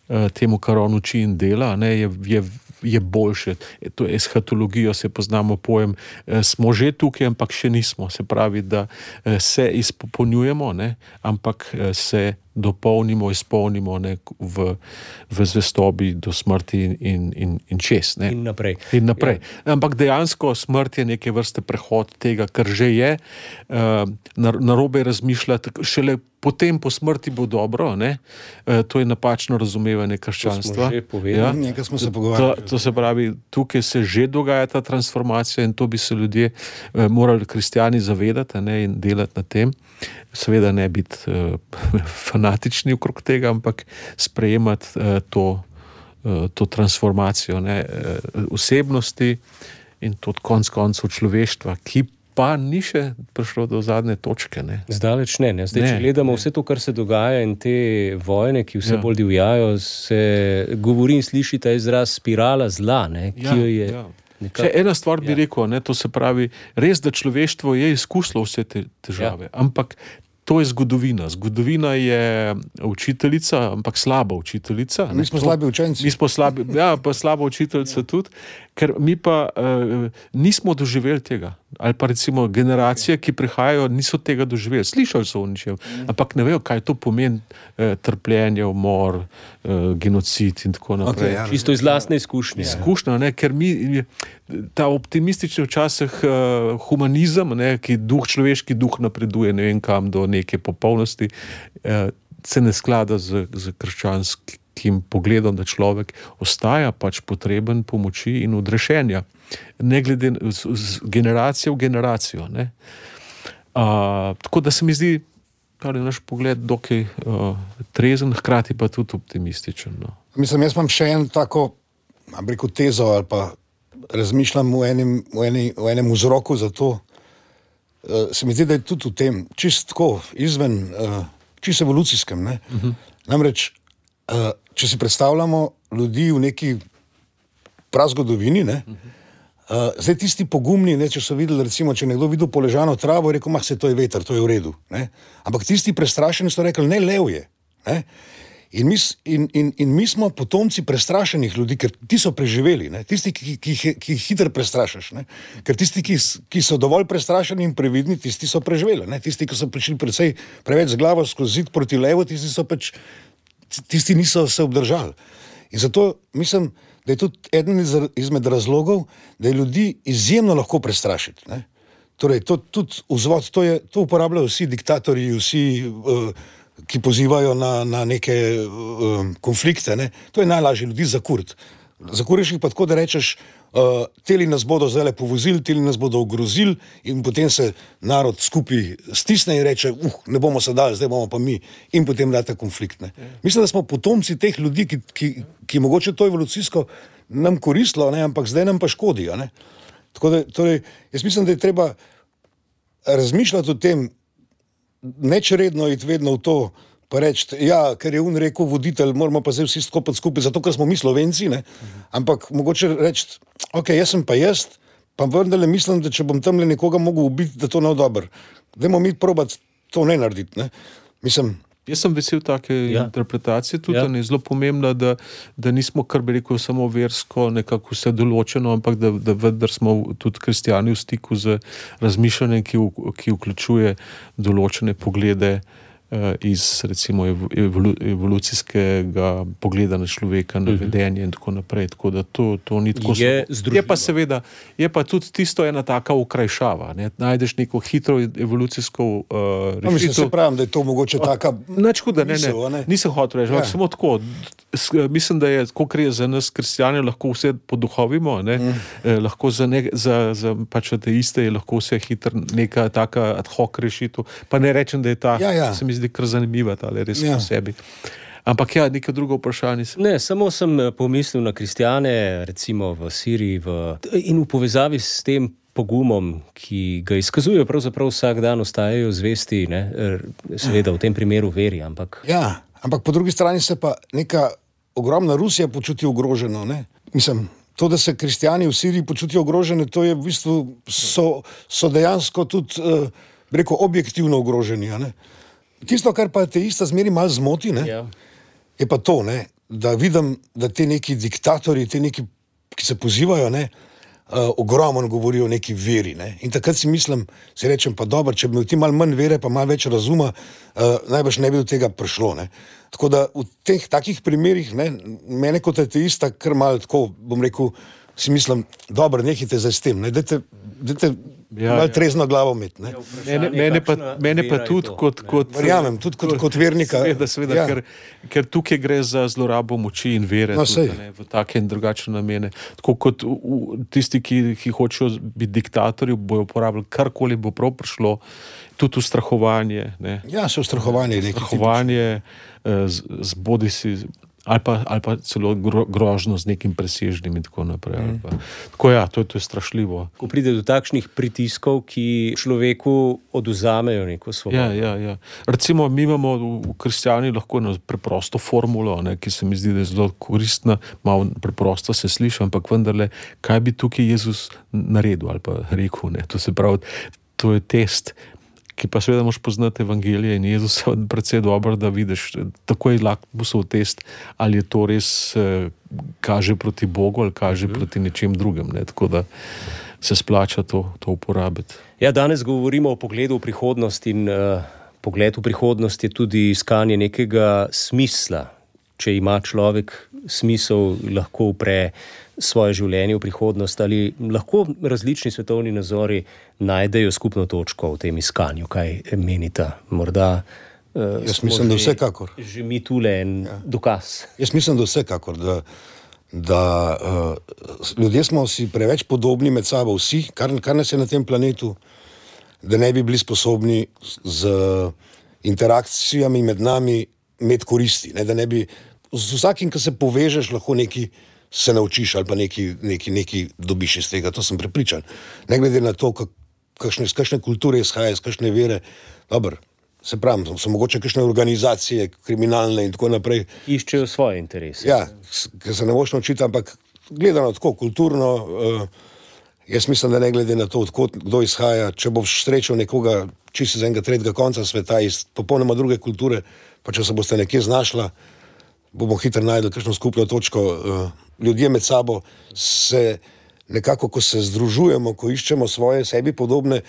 temu, kar on uči in dela, ne, je, je, je boljše. To je eshatologijo, se poznamo pojem, smo že tukaj, ampak še nismo. Se pravi, da se izpopolnjujemo, ne, ampak se dopolnimo, izpolnimo ne, v, v zvestobi do smrti in, in, in čez. Ne. In naprej. In naprej. Ja. Ampak dejansko smrt je neke vrste prehod tega, kar že je. Narobe razmišljati, šele potem po smrti bo dobro. Ne. To je napačno razumevanje krščanstva. To smo že povedali. Ja. Nekaj smo se pogovarjali. To, to se pravi, tukaj se že dogaja ta transformacija in to bi se ljudje morali kristjani zavedati, ne, in delati na tem. Seveda ne biti uh, fanatični okrog tega, ampak sprejemati uh, to, uh, to transformacijo ne, uh, osebnosti in tudi konec koncev človeštva, ki pa ni še prišlo do zadnje točke. Ne. Zdaleč ne, ne. Zdaj, ne, če gledamo ne. vse to, kar se dogaja in te vojne, ki vse ja. bolj divjajo, se govori in sliši ta izraz spirala zla, ne, ki ja, jo je... Ja. Še ena stvar bi ja. rekel, ne, to se pravi, res, da človeštvo je izkusilo vse te težave, ja. ampak to je zgodovina. Zgodovina je učiteljica, ampak slaba učiteljica. Mi smo slabi učenci. Mi smo slabi, ja, pa slaba učiteljica ja. tudi, ker mi pa uh, nismo doživeli tega. Ali pa recimo generacije, ki prihajajo, niso tega doživeli. Slišali so o ničem, ampak ne vejo, kaj to pomeni eh, trpljenje, umor, eh, genocid in tako naprej. Okay, ja. Čisto iz lastne izkušnje. Izkušnja, ne, ker mi, ta optimistični včasih eh, humanizem, ne, ki duh, človeški duh napreduje, ne vem kam, do neke popolnosti, eh, se ne sklada z, z krščanskim pogledom, da človek ostaja pač potreben pomoči in odrešenja. Ne glede z, z generacijo v generacijo. Ne. A, tako da se mi zdi, da je naš pogled dokaj uh, trezen, hkrati pa tudi optimističen. No. Mislim, jaz imam še en tako, am rekel, tezo ali pa razmišljam v enem, v eni, v enem vzroku za to. Uh, se mi zdi, da je tudi v tem, čist tako, izven, uh, čist evolucijskem. Ne. Uh-huh. Namreč, uh, če si predstavljamo ljudi v neki prazgodovini, ne, uh-huh. Uh, zdaj tisti pogumni, ne, če so videli, recimo, če nekdo videl poležano travo, je rekel, mah, se to je veter, to je v redu. Ne? Ampak tisti prestrašeni so rekli, ne, lev je. Ne? In, mi, in, in, in mi smo potomci prestrašenih ljudi, ker ti so preživeli, ne? Tisti, ki, ki, ki, ki jih hitro prestrašaš. Ne? Ker tisti, ki, ki so dovolj prestrašeni in previdni, tisti so preživeli. Ne? Tisti, ki so prišli precej preveč z glavo skozi zid proti levu, tisti so pač, tisti niso se obdržali. In zato mislim, da je tudi eden izmed razlogov, da je ljudi izjemno lahko prestrašiti. Ne? Torej, to tudi vzvod, to, je, to uporabljajo vsi diktatorji, vsi, uh, ki pozivajo na, na neke uh, konflikte. Ne? To je najlažje ljudi zakuriti. Zakuriš jih pa tako, da rečeš, uh, teli nas bodo zdaj povozili, teli nas bodo ogrozili in potem se narod skupaj stisne in reče, uh, ne bomo se dali, zdaj bomo pa mi. In potem date konflikt. Ne? Mislim, da smo potomci teh ljudi, ki, ki, ki mogoče to evolucijsko nam koristilo, ne? Ampak zdaj nam pa škodi. Ne? Tako da, torej, jaz mislim, da je treba razmišljati o tem, nečredno iti vedno v to, pa reči, ja, ker je on rekel voditelj, moramo pa zdaj vsi skopati skupaj, zato ker smo mi Slovenci, ne? Ampak mogoče reči, ok, jaz sem pa jaz, pa vendarle mislim, da če bom tamle nekoga mogel ubiti, da to ne bo dobro. Dajmo mi probati to ne narediti. Ne? Mislim, jaz sem vesel take ja. interpretacije, tudi ja. je zelo pomembna, da, da nismo, kar bi rekel, samo versko nekako vse določeno, ampak da, da vendar smo tudi kristjani v stiku z razmišljanjem, ki, v, ki vključuje določene poglede iz recimo evolu, evolucijskega pogleda na človeka, na vedenje in tako naprej. Tako da to, to ni tako. Je, je pa seveda, je pa tudi tisto ena taka okrajšava. Ne? Najdeš neko hitro evolucijsko uh, rešitev. No, mislim, se pravim, da je to mogoče taka Nič huda, ne, ne, ne. Nisem hotel reči, ja. samo tako. Mislim, da je, kot je za nas kristjane, lahko vse poduhovimo, ne? Mm. Eh, lahko za, ne, za, za pač ateiste je lahko vse hitro neka taka ad hoc rešitev. Pa ne rečem, da je ta, ja, ja. se mi zdi kar zanimiva, ali res ja. po sebi. Ampak ja, neko drugo vprašanje. Ne, samo sem pomislil na kristjane, recimo v Siriji, v, in v povezavi s tem pogumom, ki ga izkazujejo pravzaprav vsak dan, ostajajo zvesti, ne? Seveda v tem primeru veri, ampak... Ja, ampak po drugi strani se pa neka ogromna Rusija počuti ogroženo, ne? Mislim, to, da se kristjani v Siriji počutijo ogrožene, to je v bistvu, so, so dejansko tudi, uh, reko, objektivno ogroženi, ne? Tisto, kar pa ateista zmeri malo zmoti, ne? Ja. Je pa to, ne? Da vidim, da te neki diktatorji, te neki, ki se pozivajo, ne? Uh, ogromno govorijo o neki veri. Ne? In takrat si mislim, si rečem, pa dobro, če bi imel ti malo manj vere, pa malo več razuma, uh, najbrž ne bi do tega prišlo. Ne? Tako da v teh takih primerih, ne, mene kot ateista, kar malo tako, bom rekel, si mislim, dobro, nehajte zdaj s tem, ne? Dajte, dajte ja, malo ja. trezno glavo imeti. Ne? Mene, mene pa, mene pa tudi kot, kot... Verjamem, tudi kot, kot vernika. Seveda, seveda, ja. ker, ker tukaj gre za zlorabo moči in vere, no, tudi, ne, v take in drugačne namene. Tako kot v, v, tisti, ki, ki hočejo biti diktatorji, bojo uporabljali karkoli bo prav prišlo, tudi ustrahovanje. Ne. Ja, so ustrahovanje. Ustrahovanje z, z bodisi... Ali pa, ali pa celo gro, grožno z nekim presežnim in tako naprej. Mm. Pa. Tako ja, to je, to je strašljivo. Ko pride do takšnih pritiskov, ki človeku oduzamejo neko svobodo. Ja, ja, ja. Recimo, mi imamo v kristjani lahko eno preprosto formulo, ne, ki se mi zdi, da je zelo koristna, malo preprosto se sliši, ampak vendarle, kaj bi tukaj Jezus naredil ali pa rekel, ne. To se pravi, to je test, ki pa seveda moš poznati evangelije in Jezusa predvsej dobro, da vidiš, tako je lakmusov test, ali je to res eh, kaže proti Bogu ali kaže mm. proti nečem drugem. Ne? Tako da se splača to, to uporabiti. Ja, danes govorimo o pogledu v prihodnost in uh, pogled v prihodnost je tudi iskanje nekega smisla. Če ima človek smisel, lahko upre svoje življenje v prihodnost ali lahko različni svetovni nazori najdejo skupno točko v tem iskanju. Kaj menita? Morda uh, Jaz mislim, da vsekakor. Že mi tule en ja. dokaz. Jaz mislim, da vsekakor, da, da uh, ljudje smo si preveč podobni med sabo vsi, kar, kar nas je na tem planetu, da ne bi bili sposobni z interakcijami med nami imeti koristi, ne, da ne bi z vsakim, ki se povežeš, lahko nekaj se naučiš ali pa nekaj, nekaj, nekaj dobiš iz tega, to sem prepričan. Ne glede na to, kakšne, z kakšne kulture izhaja, z kakšne vere, dobro, se pravim, so mogoče kakšne organizacije, kriminalne in tako naprej. Iščejo svoje interese. Ja, ker se ne moš naučiti, ampak gledano tako, kulturno, uh, jaz mislim, da ne glede na to, odkot, kdo izhaja, če boš srečal nekoga čisto z enega tretjega konca sveta iz popolnoma druge kulture, pa če se boste nekje znašla, bomo hitro najdli kakšno skupno točko. Ljudje med sabo se nekako, ko se združujemo, ko iščemo svoje sebi podobne,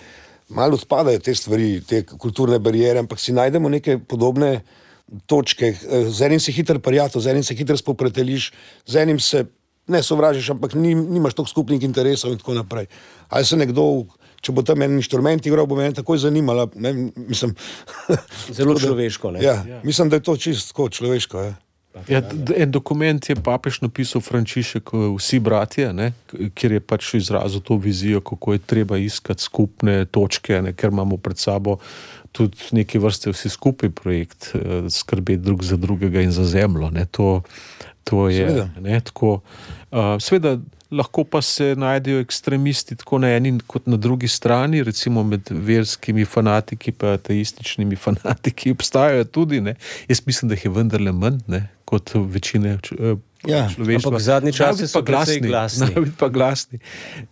malo odpadajo te stvari, te kulturne barijere, ampak si najdemo neke podobne točke. Z enim si hitro prijatelj, z enim se hitro spopreteliš, z enim se ne sovražiš, ampak nimaš toliko skupnih interesov in tako naprej. Ali se nekdo, če bo tam en inštrument igral, bo me takoj zanimala, ne, mislim. Zelo človeško, ne? Ja, ja, mislim, da je to čisto človeško, ja. Ja, en dokument je papež napisal Frančišek Vsi bratje, ne, kjer je pač izrazil to vizijo, kako je treba iskati skupne točke, ne, ker imamo pred sabo tudi neke vrste vsi skupaj projekt, skrbeti drug za drugega in za zemljo. Ne, to, to je, ne, tako, uh, seveda, lahko pa se najdejo ekstremisti tako na eni kot na drugi strani, recimo med verskimi fanatiki pa ateističnimi fanatiki obstajajo tudi, ne. Jaz mislim, da jih je vendarle manj, ne, kot večine uh, ja, človeštva. Ampak zadnji časi so precej glasni. Najbolj pa glasni.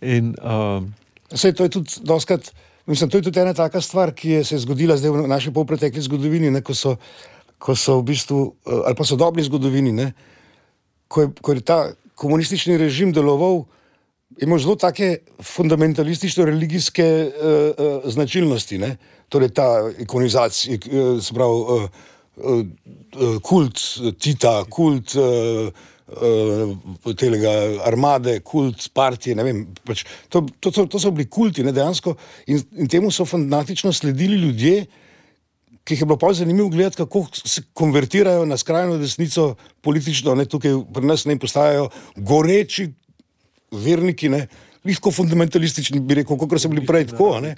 In, uh, Sej, to je tudi doskrat, mislim, to je tudi ena taka stvar, ki je se zgodila zdaj v naši polpretekli zgodovini, ne, ko so, ko so v bistvu, ali pa sodobni zgodovini, ne, ko je, ko je ta komunistični režim deloval, ima zelo take fundamentalistično-religijske uh, uh, značilnosti, ne? Torej ta ikonizacija, uh, se pravi, uh, uh, kult Tita, kult uh, uh, telega armade, kult partije, ne vem, pač, to, to, to, to so bili kulti, ne, dejansko, in, in temu so fanatično sledili ljudje, ki jih je bilo pa zanimivo gledati, kako se konvertirajo na skrajno desnico politično, ne, tukaj pri nas ne postajajo goreči verniki, ne, lahko fundamentalistični, bi rekel, kakor so bili prej tako, ne.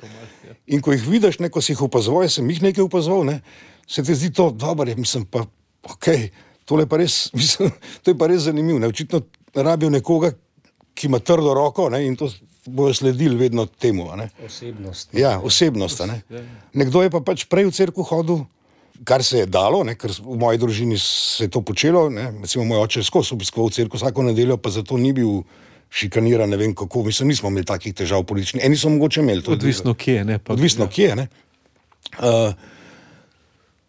In ko jih vidiš, ne, ko si jih opazoval, jaz sem jih nekaj opazoval, ne, se ti zdi to dobro, mislim pa, okej, okay, tole pa res, mislim, to je pa res zanimivo, ne, očitno rabijo nekoga, ki ima trdo roko, ne, in to bojo sledili vedno temu, ne. Osebnost. Ja, osebnost, ne. Nekdo je pa pač prej v cerkev hodil, kar se je dalo, ne, ker v moji družini se je to počelo, ne, recimo moj oče skozi obiskoval cerkev vsako nedeljo, pa zato ni bil šikaniran, ne vem kako, mislim, nismo imeli takih težav političnih, eni so mogoče imeli. To odvisno kje, ne. Pa, odvisno ja. kje, ne. Uh,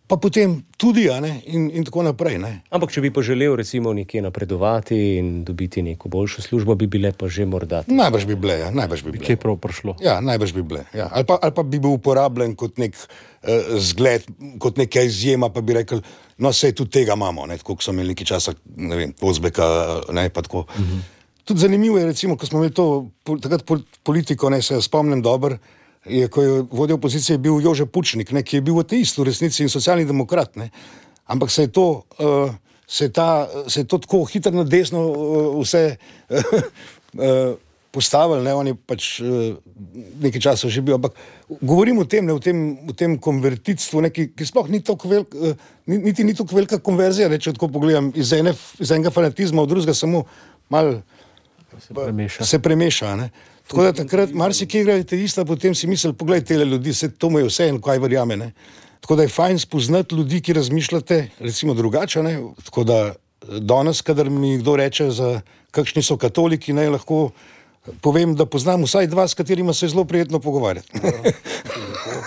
pa potem tudi, ja, ne, in, in tako naprej, ne. Ampak, če bi pa želel recimo nekje napredovati in dobiti neko boljšo službo, bi bile pa že morda. Najbrž bi bile, ja, najbrž bi bile. Kje prav prišlo? Ja, najbrž bi bile, ja. Ali pa, ali pa bi bil uporabljen kot nek uh, zgled, kot neka izjema, pa bi rekel, no, sej tudi tega imamo, ne, tako, ko so imeli nekaj časa, ne vem, Ozbeka, ne, pa tako. Uh-huh. Tudi zanimivo je, recimo, ko smo imeli to, takrat politiko, ne, se spomnim dobro, je, ko je vodil opozicije, bil Jože Pučnik, ne, ki je bil ateist v resnici in socialni demokrat, ne. Ampak se je to, uh, se je ta, se je to tako hitro na desno uh, vse uh, postavili, ne, on je pač uh, nekaj časa že bil, ampak govorim o tem, ne, o tem, o tem konvertitstvu, ne, ki, ki sploh ni tako velik, uh, niti ni tako velika konverzija, ne, če tako pogledam, iz, ene, iz enega fanatizma, od drugega samo malo se premeša. Se premeša, ne. Tako da takrat marsikaj igrate ista, potem si misli, poglej tele ljudi, se to mu je vse in kaj verjame, ne. Tako da je fajn spoznati ljudi, ki razmišljate, recimo drugače, ne. Tako da danes, kadar mi kdo reče, za kakšni so katoliki, ne, lahko povem, da poznam vsaj dva, s katerima se je zelo prijetno pogovarjati.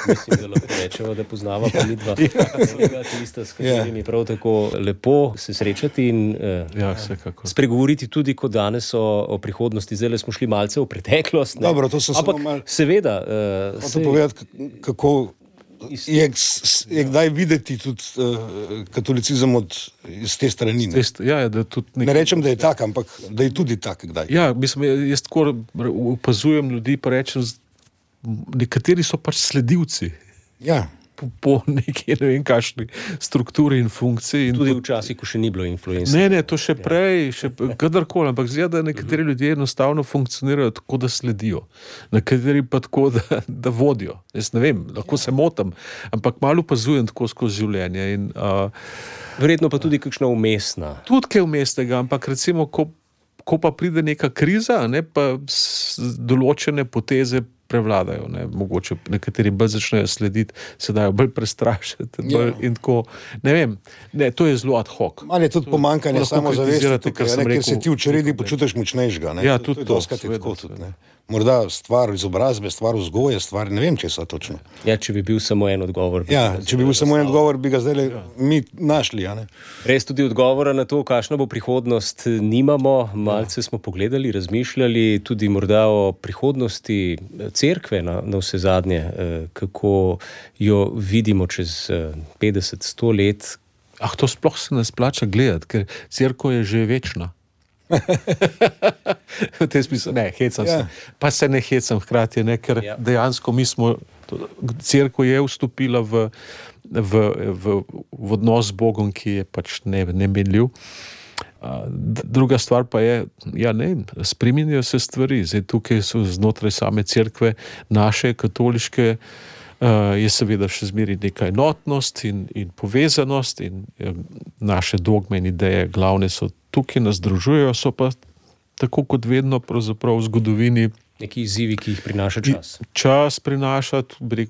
Mislim, da lahko rečemo, da poznava pa mi dva. Tista, s katerimi je prav tako lepo se srečati in eh, Ja, spregovoriti tudi kot danes o, o prihodnosti. Zdaj smo šli malce v preteklost. Ne? Dobro, to so Ampak samo mal... seveda... Eh, Hočem sej... povedati, kako je, je kdaj videti tudi uh, katolicizem od, iz te strani. Ne, ja, da tudi nek... ne rečem, da je tak, ampak da je tudi tak kdaj. Ja, mislim, jaz tako opazujem ljudi, pa rečem, nekateri so pač sledilci. Ja. Po, po neki, ne vem, kakšni strukturi in funkciji. In tudi včasih, ko še ni bilo influencerjev. Ne, ne, to še prej, še kadarkoli, ampak zdi, da nekateri ljudje enostavno funkcionirajo tako, da sledijo. Nekateri pa tako, da, da vodijo. Jaz ne vem, lahko se motim, ampak malo opazujem tako skozi življenje. In, uh, verjetno pa tudi kakšna umestna. Tudi kaj umestnega, ampak recimo, ko, ko pa pride neka kriza, ne, pa določene poteze prevladajo, ne, mogoče nekateri bolj začnejo slediti, se dajo bolj prestrašiti, bolj ja. In tako, ne vem, ne, to je zelo ad hoc. Ali je tudi pomankanje samozavesti, tukaj, ne, ker se ti v čredi počutiš močnejšega, ne, ja, to, tudi to, to, to, seveda, tako, tudi, ne. Morda stvar izobrazbe, stvar vzgoje, stvar, ne vem, če so točno. Ja, če bi bil samo en odgovor. Ja, če bi bil samo en odgovor, bi ga zdaj ja. mi našli, ja, ne. Res tudi odgovora na to, kakšna bo prihodnost, nimamo, malce ja. smo pogledali, razmišljali tudi morda o prihodnosti cerkve na, na vse zadnje, kako jo vidimo čez petdeset, sto let. Ah, to sploh se ne splača gledati, ker cerkev je že večna. V tem smislu, ne, hecam ja. se. Pa se ne hecam hkrati, ne, ker ja. dejansko mi smo, cerkev je vstopila v, v, v, v odnos z Bogom, ki je pač ne, nemenljiv. Druga stvar pa je, ja, ne, spreminjajo se stvari. Zdaj tukaj so znotraj same cerkve, naše katoliške, uh, je seveda še zmeraj neka enotnost in, in povezanost in uh, naše dogme in ideje glavne so tukaj, nas združujejo, so pa tako kot vedno pravzaprav v zgodovini neki izzivi, ki jih prinaša čas. Čas prinaša,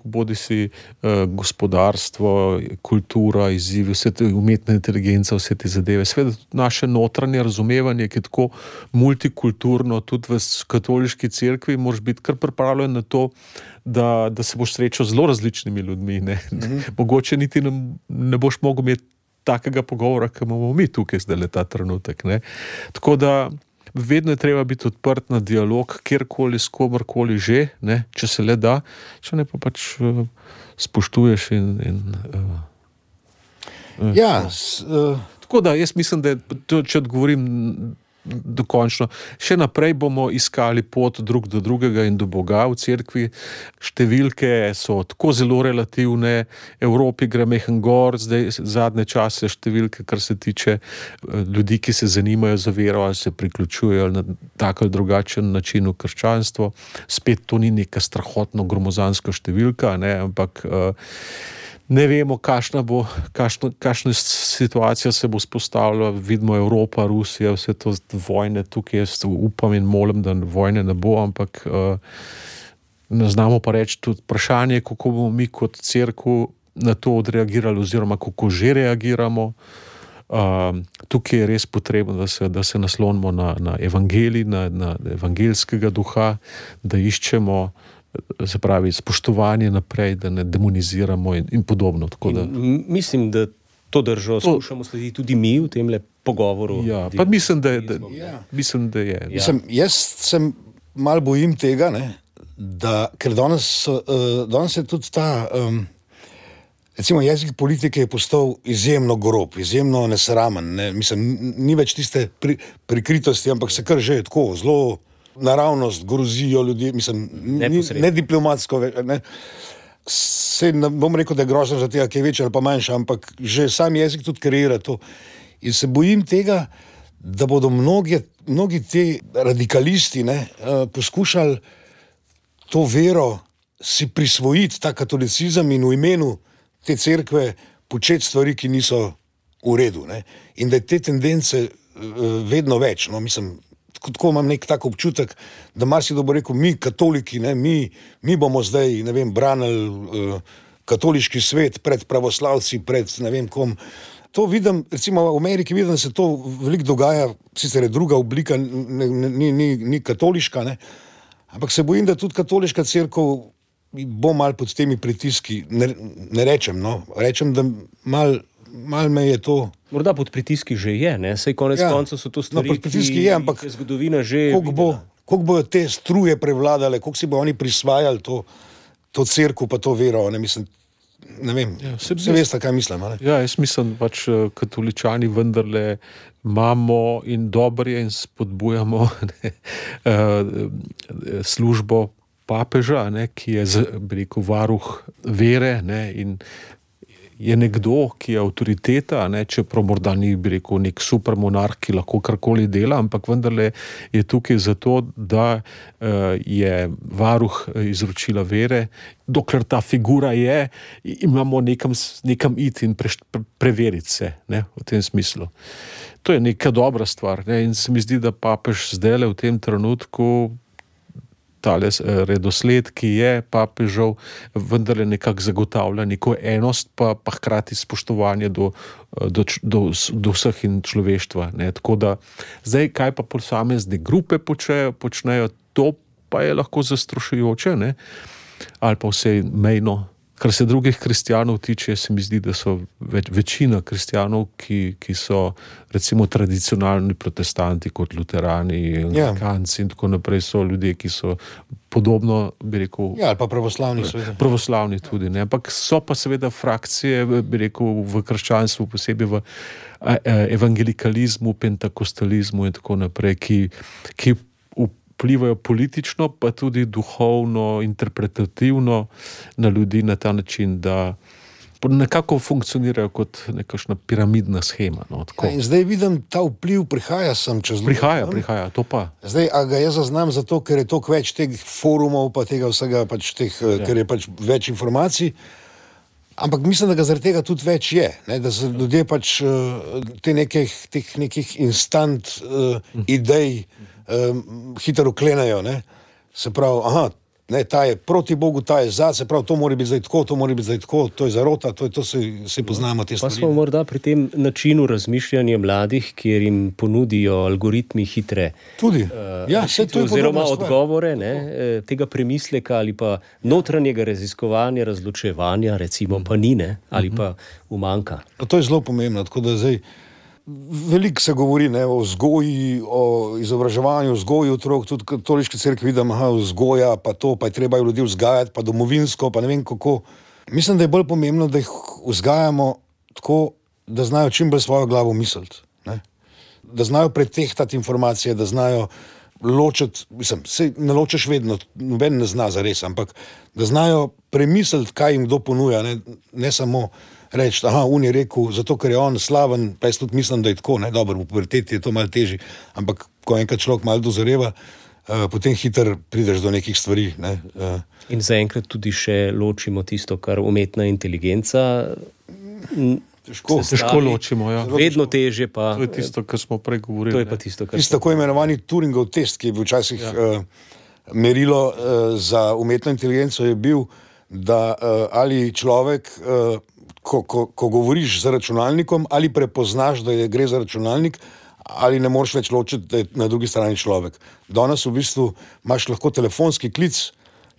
bodi si uh, gospodarstvo, kultura, izzivi, vse te umetne inteligence, vse te zadeve. Sveda naše notranje razumevanje, ki je tako multikulturno, tudi v katoliški cerkvi, moraš biti kar pripravljen na to, da, da se boš srečal z zelo različnimi ljudmi. Ne? Mm-hmm. Mogoče niti ne, ne boš mogel imeti takega pogovora, ki imamo mi tukaj zdaj ta trenutek. Ne? Tako da vedno je treba biti odprt na dialog, kjerkoli, s komorkoli že, ne, če se le da, če ne pa pač uh, spoštuješ in... in uh, uh, ja, s, uh... tako da jaz mislim, da to, če odgovorim dokončno, še naprej bomo iskali pot drug do drugega in do Boga v cerkvi. Številke so tako zelo relativne, Evropi gre mehen gor, zdaj zadnje čase številke, kar se tiče ljudi, ki se zanimajo za vero ali se priključujejo na tak ali drugačen način v krščanstvo. Spet to ni neka strahotno gromozanska številka, ne, ampak uh, ne vemo, kakšna bo, kakšna, kakšna situacija se bo spostavila. Vidimo Evropa, Rusija, vse to vojne tukaj. Jaz upam in molim, da vojne ne bo, ampak uh, ne znamo pa reči tudi vprašanje, kako bomo mi kot cerkev na to odreagirali oziroma kako že reagiramo. Uh, tukaj je res potrebno, da se, da se naslonimo na, na evangelij, na, na evangeljskega duha, da iščemo, se pravi, spoštovanje naprej, da ne demoniziramo in, in podobno. Tako da... in mislim, da to držo to... skušamo slediti tudi mi v tem le pogovoru. Ja, pa mislim, da je. Da, ja. Mislim, da je. Ja. Mislim, jaz sem mal bojim tega, ne, da, ker danes, uh, danes je tudi ta, um, recimo jezik politike je postal izjemno grob, izjemno nesramen. Ne. Mislim, ni več tiste pri, prikritosti, ampak se kar že tako zelo naravnost grozijo ljudje, mislim, ni, ne diplomatsko, ne. Se ne bom rekel, da je grozno za tega, ki je večja ali pa manjša, ampak že sam jezik tudi kreira to. In se bojim tega, da bodo mnogi, mnogi ti radikalisti, ne, poskušali to vero si prisvojiti, ta katolicizem in v imenu te cerkve početi stvari, ki niso v redu, ne. In da je te tendence vedno več, no, mislim, tako imam nek tak občutek, da marsikdo bo rekel, mi katoliki, ne, mi, mi bomo zdaj, ne vem, branili uh, katoliški svet pred pravoslavci, pred ne vem kom. to vidim, recimo v Ameriki vidim, da se to veliko dogaja, sicer je druga oblika, ni, ni, ni, ni katoliška, ne? Ampak se bojim, da tudi katoliška cerkev bo mal pod temi pritiski, ne, ne rečem, no, rečem, da mal, mal me je to... Morda pod pritiski že je, ne, saj konec ja. koncev so to stvari, no, pod pritiski je, ampak je zgodovina že... Koliko bo, koliko bojo te struje prevladale, koliko si bo oni prisvajali to, to cerkev pa to vero, ne, mislim, ne vem, ja, se, se veste, kaj mislim, ne? Ja, jaz mislim, pač katoličani vendarle imamo in dobro je in spodbujamo ne, službo papeža, ne, ki je, bi rekel, varuh vere, ne, in je nekdo, ki je avtoriteta, ne, čeprav morda ni, bi rekel, nek super monarh, ki lahko karkoli dela, ampak vendarle je tukaj zato, da uh, je varuh izročila vere, dokler ta figura je, imamo nekam, nekam iti in pre, pre, preveriti se, ne, v tem smislu. To je neka dobra stvar, ne, in se mi zdi, da papež zdajle v tem trenutku tale redosled, ki je papežev, vendarle nekako zagotavlja neko enost, pa, pa hkrati spoštovanje do, do, do, do vseh in človeštva. Ne. Tako da, zdaj, kaj pa posamezne grupe počejo, počnejo, to pa je lahko zastrašujoče, ne, ali pa vse mejno. Kar se drugih kristjanov tiče, se mi zdi, da so več, večina kristjanov, ki, ki so recimo tradicionalni protestanti kot luterani, anglikanci yeah. in tako naprej, so ljudje, ki so podobno, bi rekel... Ja, ali pa pravoslavni seveda. Pravoslavni tudi, ne. Ampak so pa seveda frakcije, bi rekel, v krščanstvu, posebej v evangelikalizmu, pentakostalizmu in tako naprej, ki, ki vplivajo politično, pa tudi duhovno, interpretativno na ljudi na ta način, da nekako funkcionirajo kot nekakšna piramidna shema. No, ja, in zdaj vidim, ta vpliv prihaja sem čez... Prihaja, prihaja, to pa. Zdaj, a ga jaz zaznam zato, ker je toliko več teh forumov, pa tega vsega, pač teh, ja. ker je pač več informacij, ampak mislim, da ga zaradi tega tudi več je, ne? Da se ljudje pač te nekih, teh nekih instant uh, idej Um, hitro uklenajo, ne, se pravi, aha, ne, ta je proti Bogu, ta je za, se pravi, to mora biti zdaj tako, to mora biti zdaj tako, to je zarota, to je to, se, se poznamo te stvari. Pa smo morda pri tem načinu razmišljanja mladih, kjer jim ponudijo algoritmi hitre tudi, uh, ja, vse to je oziroma odgovore, ne, tega premisleka ali pa notranjega raziskovanja, razločevanja, recimo, pa ni, ne, ali pa umanjka. No, to je zelo pomembno, tako da zdaj veliko se govori, ne, o vzgoji, o izobraževanju, vzgoji otrok, tudi katoliški cerkvi vidim, aha, vzgoja, pa to, pa je treba ljudi vzgajati, pa domovinsko, pa ne vem kako. Mislim, da je bolj pomembno, da jih vzgajamo tako, da znajo čim bolj svojo glavo misliti, ne. Da znajo pretehtati informacije, da znajo ločiti, mislim, se ne ločiš vedno, noben ne zna zares, ampak da znajo premisliti, kaj jim kdo ponuja, ne, ne samo reči, aha, on je rekel, zato ker je on slaven, pa jaz tudi mislim, da je tako, ne, dobro, v puberteti je to malo težje, ampak ko enkrat človek malo dozoreva, uh, potem hitro prideš do nekih stvari, ne. Uh. In zaenkrat tudi še ločimo tisto, kar umetna inteligenca težko, težko ločimo, ja. Vedno težje pa... To je tisto, kar smo prej govorili. To je pa tisto, kar... Tisto tako imenovani Turingov test, ki je bil včasih ja. uh, merilo uh, za umetno inteligenco, je bil, da uh, ali človek... Uh, Ko, ko, ko govoriš z računalnikom, ali prepoznaš, da je, gre za računalnik, ali ne moreš več ločiti, da je na drugi strani človek. Danes v bistvu imaš lahko telefonski klic,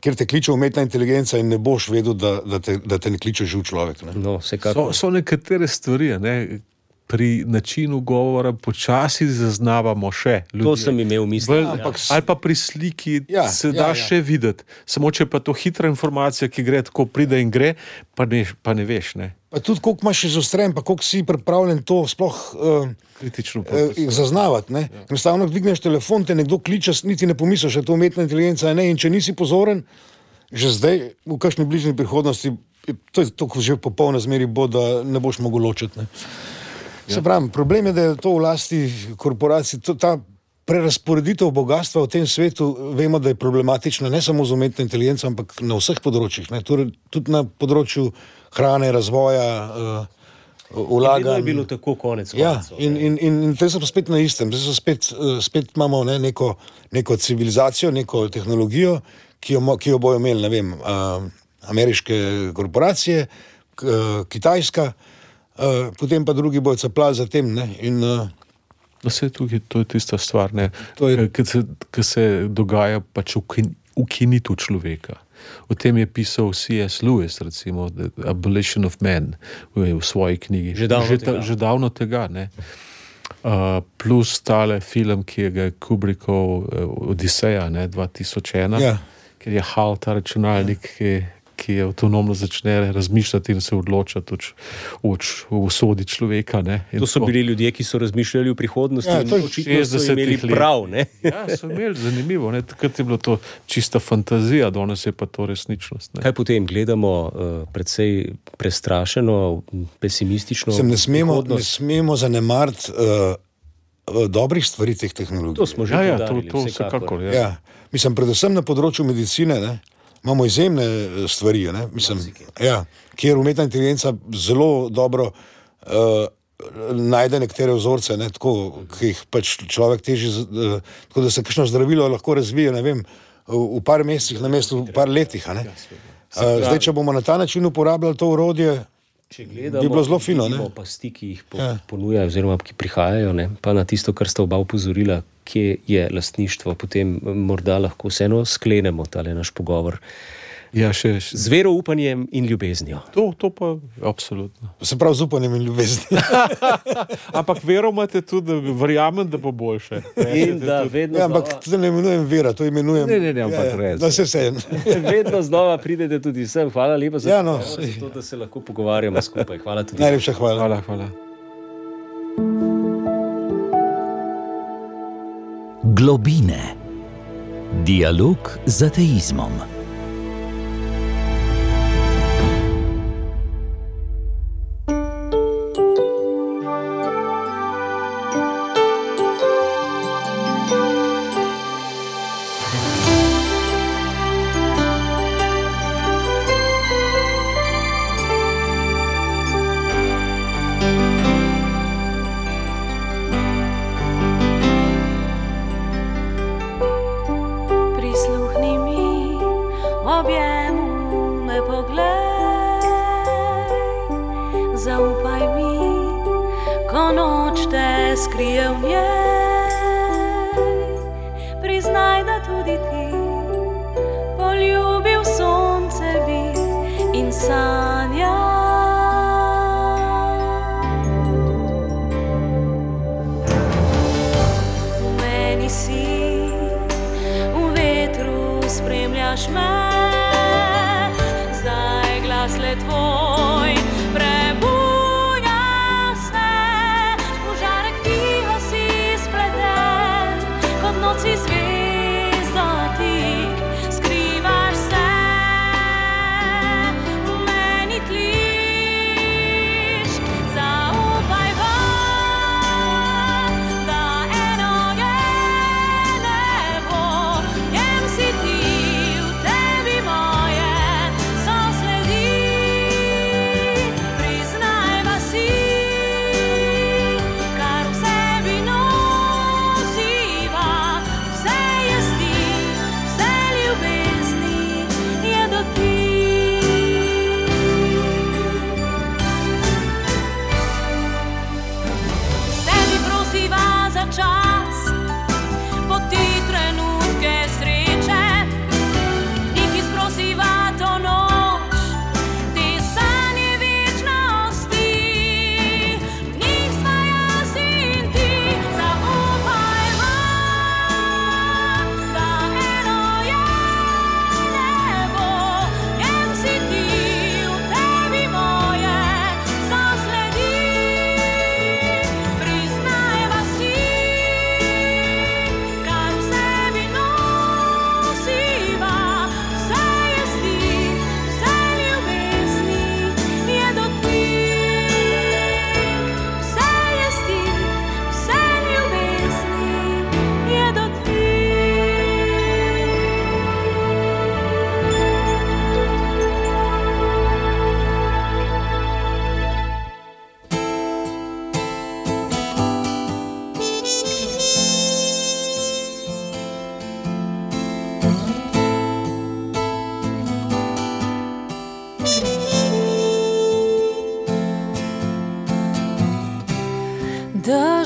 kjer te kliče umetna inteligenca in ne boš vedel, da, da, te, da te ne kliče živ človek. Ne? No, so, so nekatere stvari, ne? Pri načinu govora počasi zaznavamo še ljudje. To sem imel v misli. Ja. Ampak, ali pa pri sliki ja, se ja, da ja. še videti. Samo če pa to hitra informacija, ki gre tako, pride in gre, pa ne, pa ne veš. Ne. Pa tudi koliko imaš izostren, pa koliko si pripravljen to sploh uh, kritično uh, zaznavati. Ne. Ja. Enostavno dvigneš telefon, te nekdo kliče, niti ne pomisliš, da je to umetna inteligenca, ne, in če nisi pozoren, že zdaj, v kakšni bližnji prihodnosti, to je to, ko že popolna zmeri bo, da ne boš mogel ločiti. Ne. Se pravim, problem je, da je to v lasti korporacij, to, ta prerasporeditev bogatstva v tem svetu, vemo, da je problematična ne samo z umetno inteligenco, ampak na vseh področjih, ne, tudi na področju hrane, razvoja, uh, vlaganj. Vedno je bilo tako konec koncev. Ja, in, in, in, in te so spet na istem, te so spet, uh, spet imamo ne, neko, neko civilizacijo, neko tehnologijo, ki jo, ki jo bojo imeli, ne vem, uh, ameriške korporacije, k, uh, Kitajska, uh, potem pa drugi bojo capljali za tem. Ne? In, uh, Vse tukaj, to je tista stvar, ki se, se dogaja pač ukinitev človeka. O tem je pisal C S Lewis, recimo, The Abolition of Man v, v svoji knjigi. Že davno že, tega. Že davno tega ne? Uh, plus tale film, ki je ga Kubrickov uh, Odiseja, ne, dva tisoč ena, ja. Ker je Hal, ta računalnik, ja. ki, ki je avtonomno začne razmišljati in se odločati o usodi človeka. Ne, to so bili ljudje, ki so razmišljali v prihodnosti ja, in očitno so imeli prav. Ne? Ja, so imeli, zanimivo. Ne? Takrat je bilo to čista fantazija, danes je pa to resničnost. Ne? Kaj potem gledamo uh, predvsej prestrašeno, pesimistično? Sem ne smemo, ne smemo zanemariti uh, dobrih stvari teh tehnologij. To smo že ja, podarili, ja, to, to vsekakor. Ja. Ja, mislim, predvsem na področju medicine, ne? Imamo izjemne stvari, ne? Mislim, ja, kjer umetna inteligenca zelo dobro uh, najde nekatere vzorce, ne? Tako, ki jih pač človek teži, uh, tako da se kakšno zdravilo lahko razvije, ne vem, v, v par mesecih na mestu v par letih. Ne? Uh, zdaj, če bomo na ta način uporabljali to orodje, če gledamo, bi bilo zelo fino. Ne? Pasti, ki jih po, ja. ponujajo, oziroma ki prihajajo, ne? Pa na tisto, kar sta oba upozorila, kje je lastništvo, potem morda lahko vseeno sklenemo tale naš pogovor. Ja, še, še. Z veroupanjem in ljubeznijo. To, to pa absolutno. Se pravi z upanjem in ljubeznijo. Ampak vero imate tudi, da verjamem, da bo boljše. In da vedno ja, ampak to ne imenujem vera, to imenujem... Ne, ne, ne, ampak ja, res. Da se vsejem. Vedno znova pridete tudi sem. Hvala lepa za, ja, no, za to, da se lahko pogovarjamo skupaj. Hvala tudi. Najlepša hvala. Hvala, hvala. Globine. Dialog z ateizmom. Tebi moje, so sledi.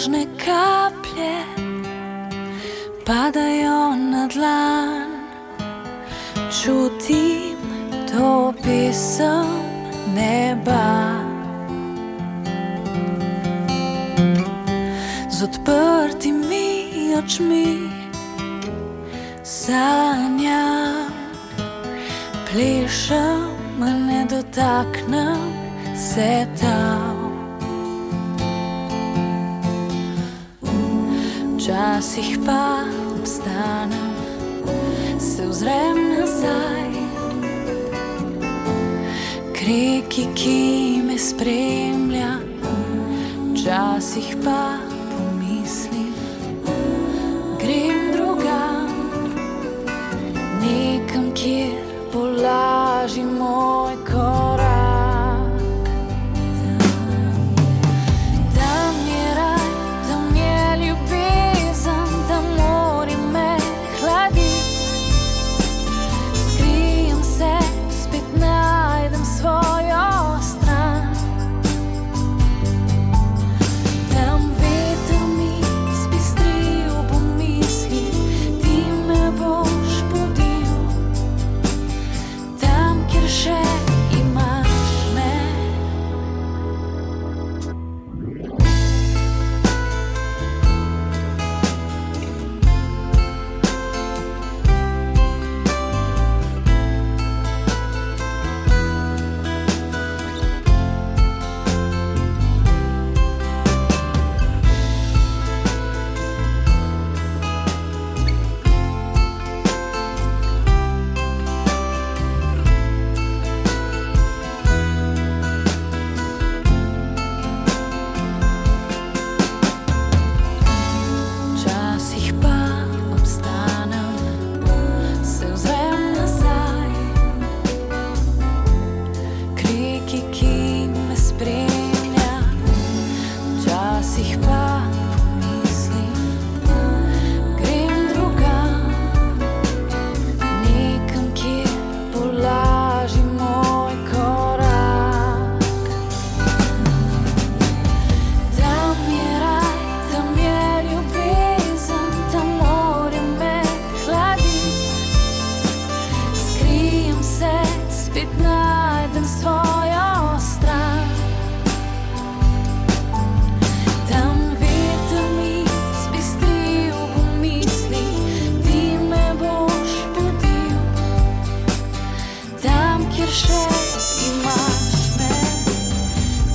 nežne kaplje padajo na dlan. Čutim to pesem neba. Z odprtimi očmi sanjam, plešem, a ne dotaknem se tam. Včasih pa obstanem, se ozrem nazaj k reki, ki me spremlja. Včasih pa pomislim, grem drugam, nekam, kjer bo lažji moj korak. Tam je raj, tam je ljubezen, tam morje me hladi. Skrijem se, spet najdem svojo stran. Tam veter mi zbistri ob misli, ti me boš budil. Tam, kjer še imaš me. Včasih pa obstanem, se ozrem nazaj k reki, ki me spremlja. Včasih pa pomislim, grem drugam, nekam, kjer bo lažji moj korak. Tam je raj, tam je ljubezen, tam morje me hladi. Skrijem se, spet najdem svojo stran. Tam veter mi zbistri ob misli, ti me boš budil. Tam, kjer še imaš me.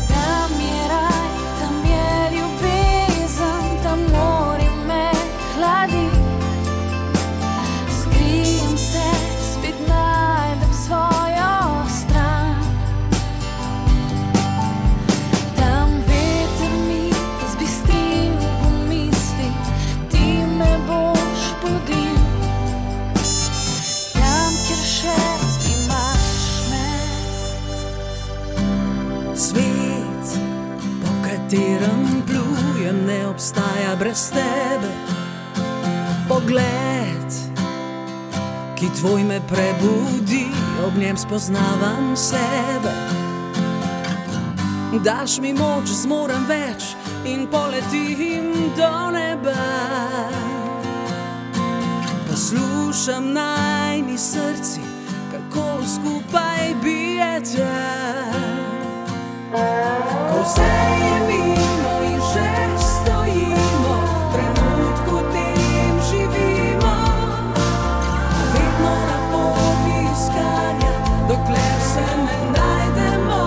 Tam je raj, tam je ljubezen, tam morje me hladi. Skrijem se, spet najdem svojo stran. Tam veter mi zbistri ob misli, ti me boš budil. Tam, kjer še imaš me. Svet, po katerem plujem, ne obstaja brez tebe. Pogled, ki tvoj me prebudi, ob njem spoznavam sebe. Daš mi moč, zmorem več in poletim do neba. Poslušam najni srci, kako skupaj bijete. Ko vse je mimo in že stojimo, v trenutku tem živimo. Vedno na poti iskanja, dokler se ne najdemo.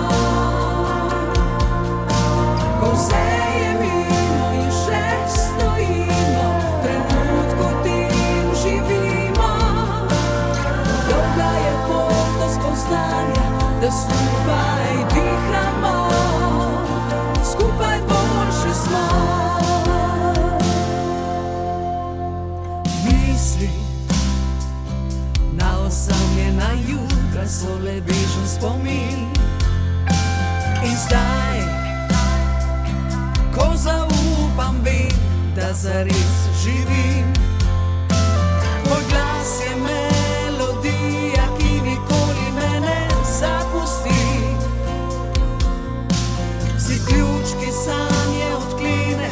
Ko vse je mimo in še stojimo, v trenutku tem živimo. Dolga je pot do spoznanja, da skupaj dihamo, skupaj boljši smo. Misli na osamljena jutra so le bežen spomin. In zdaj, ko zaupam, vem, da zares živim. Tvoj glas je melodija, ki nikoli me ne zapusti. Si ključ, ki sanje odklene,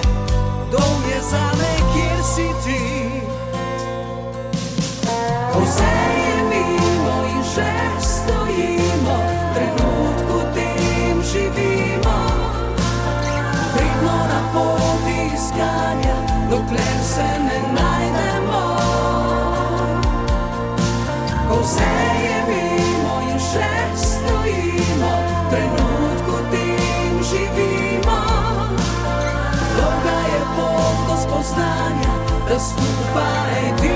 da skupaj ti